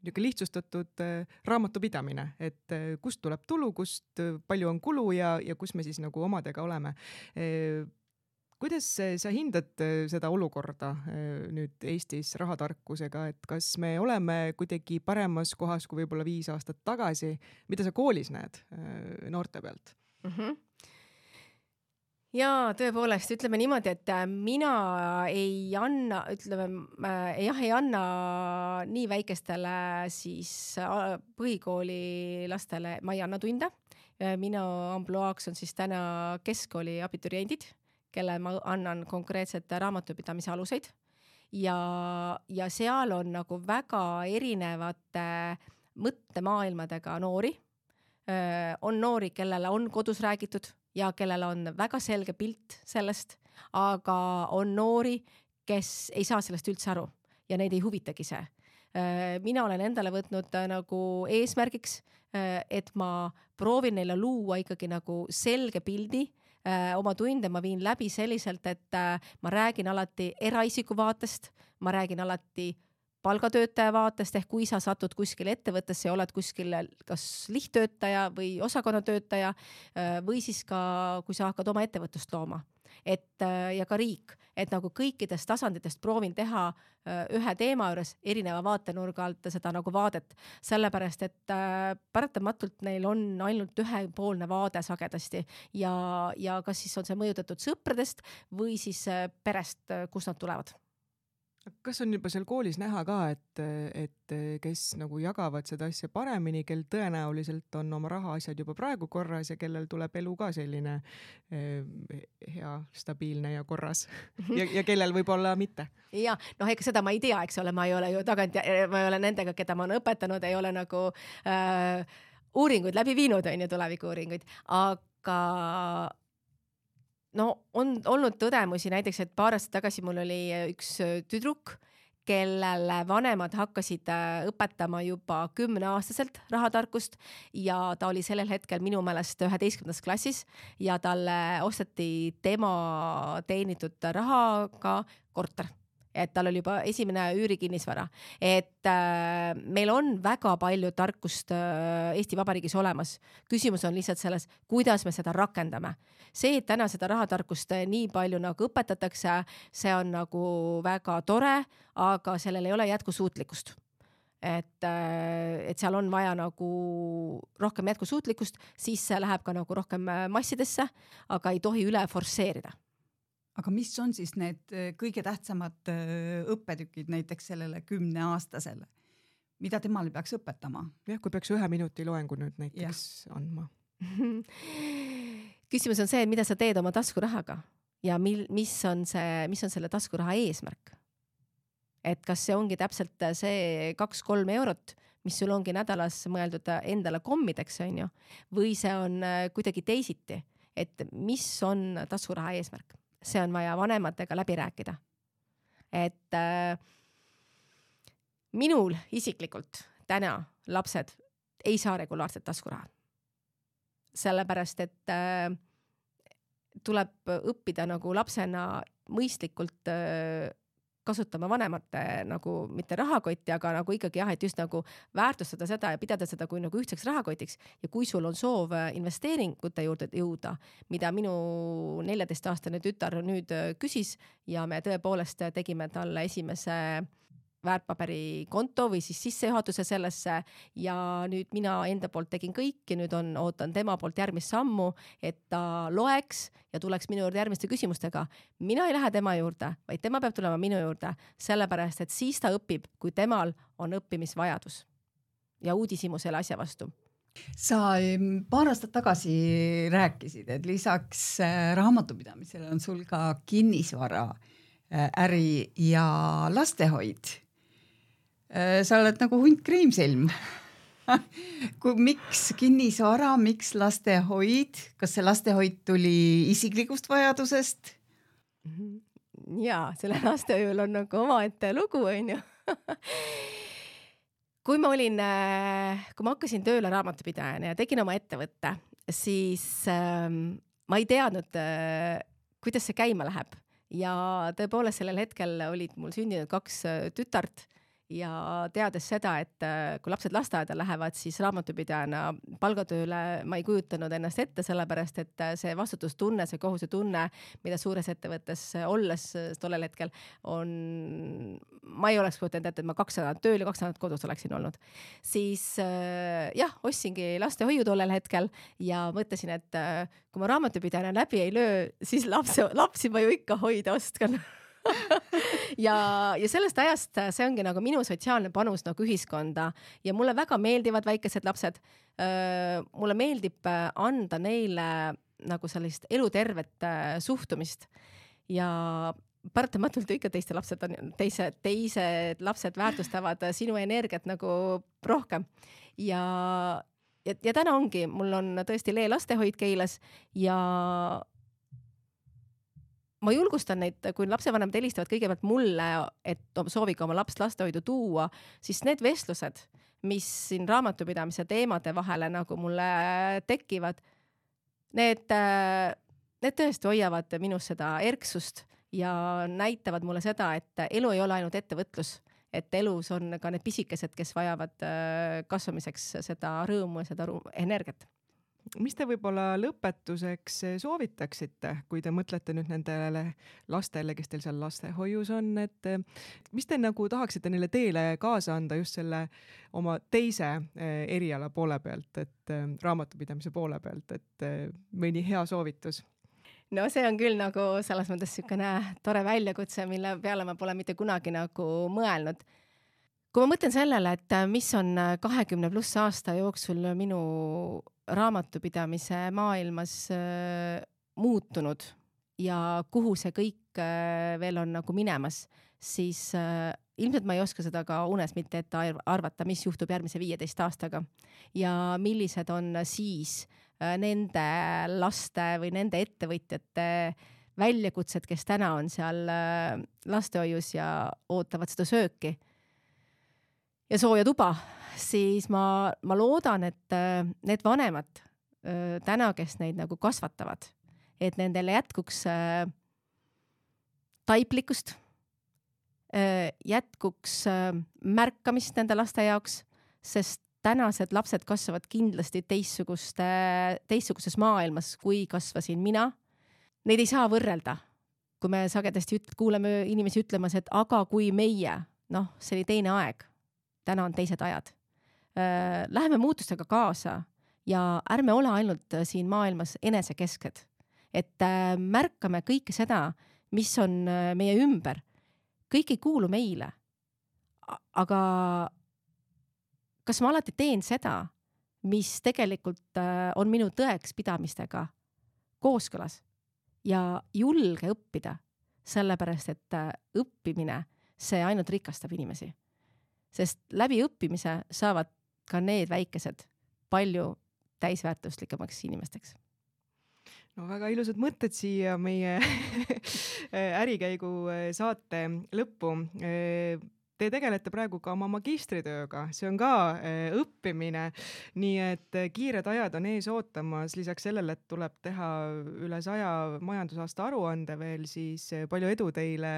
lihtsustatud raamatupidamine, et kust tuleb tulu, kust palju on kulu ja kus me siis nagu omadega oleme. Kuidas sa hindad seda olukorda nüüd Eestis rahatarkusega, et kas me oleme kuidagi paremas kohas kui võib-olla 5 aastat tagasi? Mida sa koolis näed noorte pealt? Ja tõepoolest, ütleme niimoodi, et mina ei anna nii väikestele siis põhikooli lastele, ma ei anna tunde. Minu ampluaaks on siis täna keskkooli abituriendid, kelle ma annan konkreetselt raamatupidamise aluseid ja seal on nagu väga erinevate mõttemaailmadega noori. On noori, kellele on kodus räägitud ja kellel on väga selge pilt sellest, aga on noori, kes ei saa sellest üldse aru ja neid ei huvitagi see. Mina olen endale võtnud nagu eesmärgiks, et ma proovin neile luua ikkagi nagu selge pildi. Oma tunde ma viin läbi selliselt, et ma räägin alati eraisiku vaatest, ma räägin alati palgatöötaja vaatest, ehk kui sa satud kuskil ettevõttesse ja oled kuskil kas lihttöötaja või osakonnatöötaja või siis ka, kui sa hakkad oma ettevõtlust looma. Ja ka riik, et nagu kõikidest tasanditest proovin teha ühe teema juures erineva vaatenurga alt seda nagu vaadet, sellepärast, et paratamatult neil on ainult ühepoolne vaade sagedasti ja kas siis on see mõjutatud sõpradest või siis perest, kus nad tulevad. Kas on juba seal koolis näha ka, et kes nagu jagavad seda asja paremini, kel tõenäoliselt on oma rahaasjad juba praegu korras ja kellel tuleb elu ka selline hea, stabiilne ja korras ja kellel võib-olla mitte? Ja, ega seda ma ei tea, eks ole, ma ei ole ju ma ei ole nendega, keda ma olen õpetanud, ei ole nagu uuringuid läbi viinud, on ju tulevikuuuringuid, aga on olnud tõdemusi näiteks, et paar aastat tagasi mul oli üks tüdruk, kellele vanemad hakkasid õpetama juba 10-aastaselt rahatarkust ja ta oli sellel hetkel minu meelest 11. klassis ja talle osteti tema teenitud rahaga korter. Et tal oli juba esimene üürikinnisvara. Et meil on väga palju tarkust Eesti Vabariigis olemas. Küsimus on lihtsalt selles, kuidas me seda rakendame. See, et täna seda rahatarkust nii palju nagu õpetatakse, see on nagu väga tore, aga sellel ei ole jätkusuutlikkust. Et seal on vaja nagu rohkem jätkusuutlikkust, siis see läheb ka nagu rohkem massidesse, aga ei tohi üle forsseerida. Aga mis on siis need kõige tähtsamad õppetükid näiteks sellele 10-aastasele? Mida temale peaks õpetama? Jah, kui peaks 1 minuti loengu nüüd näiteks andma. Küsimus on see, mida sa teed oma taskurahaga ja mis on selle taskuraha eesmärk. Et kas see ongi täpselt see 2-3 eurot, mis sul ongi nädalas mõeldud endale kommideks, on ju, või see on kuidagi teisiti. et mis on taskuraha eesmärk. See on vaja vanematega läbi rääkida. Et minul isiklikult täna lapsed ei saa regulaarset taskuraha. Sellepärast, et tuleb õppida nagu lapsena mõistlikult kasutama vanemate nagu mitte rahakotti, aga nagu ikkagi jah, et just nagu väärtustada seda ja pidada seda kui nagu ühtseks rahakotiks. Ja kui sul on soov investeeringute juurde jõuda, mida minu 14-aastane tütar nüüd küsis ja me tõepoolest tegime talle esimese väärtpaberikonto või siis sissejuhatuse sellesse ja nüüd mina enda poolt tegin kõik ja nüüd ootan tema poolt järgmist sammu, et ta loeks ja tuleks minu juurde järgmiste küsimustega. Mina ei lähe tema juurde, vaid tema peab tulema minu juurde, sellepärast, et siis ta õpib, kui temal on õppimisvajadus ja uudishimu selle asja vastu. Sa paar aastat tagasi rääkisid, et lisaks raamatupidamisele on sul ka kinnisvara, äri ja lastehoid. Sa oled nagu hunt kriimsilm. Miks kinnisvara, miks lastehoid? Kas see lastehoid tuli isiklikust vajadusest? Jaa, selle lastehoiul on nagu omaette lugu, on ju. Kui ma hakkasin tööle raamatupidajana ja tegin oma ettevõtte, siis ma ei teadnud, kuidas see käima läheb. Ja tõepoolest sellel hetkel olid mul sündinud 2 tütart ja teades seda, et kui lapsed lasteaeda lähevad, siis raamatupidajana palgatööle ma ei kujutanud ennast ette, sellepärast, et see vastutustunne, see kohusetunne, mida suures ettevõttes olles tollel hetkel ma ei oleks kujutanud ette, et ma 2 nädalat tööl ja 2 nädalat kodus oleksin olnud. Siis jah, ostsingi lastehoiu tollel hetkel ja mõtlesin, et kui ma raamatupidajana läbi ei löö, siis lapsi ma ju ikka hoida ostkan. ja sellest ajast see ongi nagu minu sotsiaalne panus nagu ühiskonda ja mulle väga meeldivad väikesed lapsed. Mulle meeldib anda neile nagu sellist elutervet suhtumist ja paratamatult ikka teised lapsed väärtustavad sinu energiat nagu rohkem ja täna ongi, mul on tõesti Lee lastehoid Keilas ja ma julgustan neid, kui lapsevanemad helistavad kõigepealt mulle, et sooviga oma lapst lastehoidu tuua, siis need vestlused, mis siin raamatupidamise teemade vahele nagu mulle tekivad, need tõesti hoiavad minus seda erksust ja näitavad mulle seda, et elu ei ole ainult ettevõtlus, et elus on ka need pisikesed, kes vajavad kasvamiseks seda rõõmu ja seda energiat. Mis te võib-olla lõpetuseks soovitaksite, kui te mõtlete nüüd nendele lastele, kes teil seal lastehoius on, et mis te nagu tahaksite neile teele kaasa anda just selle oma teise eriala poole pealt, et raamatupidamise poole pealt, et mõni hea soovitus? No see on küll nagu selles mõttes niisugune tore väljakutse, mille peale ma pole mitte kunagi nagu mõelnud. Kui ma mõtlen sellele, et mis on 20+ aasta jooksul minu raamatupidamise maailmas muutunud ja kuhu see kõik veel on nagu minemas, siis ilmselt ma ei oska seda ka unes mitte ette arvata, mis juhtub järgmise 15 aastaga ja millised on siis nende laste või nende ettevõtjate väljakutsed, kes täna on seal lastehoius ja ootavad seda sööki ja sooja tuba, siis ma loodan, et need vanemad täna, kes neid nagu kasvatavad, et nendele jätkuks taiplikkust, jätkuks märkamist nende laste jaoks, sest tänased lapsed kasvavad kindlasti teistsuguses maailmas, kui kasvasin mina. Neid ei saa võrrelda. Kui me sagedasti kuuleme inimesi ütlemas, et aga kui meie, see oli teine aeg, täna on teised ajad. Läheme muutustega kaasa ja ärme ole ainult siin maailmas enesekesked. Et märkame kõike seda, mis on meie ümber. Kõik ei kuulu meile. Aga kas ma alati teen seda, mis tegelikult on minu tõeks pidamistega kooskõlas ja julge õppida, sellepärast, et õppimine, see ainult rikastab inimesi. Sest läbi õppimise saavad ka need väikesed palju täisväärtuslikemaks inimesteks. no väga ilusad mõtted siia meie ärikäigu saate lõppu. Te tegelete praegu ka oma magistritööga, see on ka õppimine, nii et kiired ajad on ees ootamas, lisaks sellele, et tuleb teha üle 100 majandusaasta aruande veel, siis palju edu teile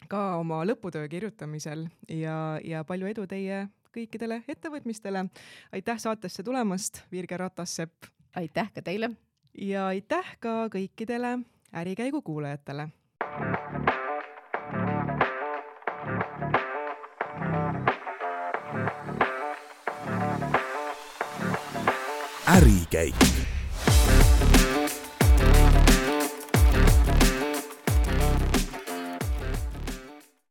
ka oma lõputöö kirjutamisel ja palju edu teie kõikidele ettevõtmistele. Aitäh saatesse tulemast, Virge Ratas-Sepp. Aitäh ka teile. Ja aitäh ka kõikidele ärikäigu kuulajatele. Ärikäik.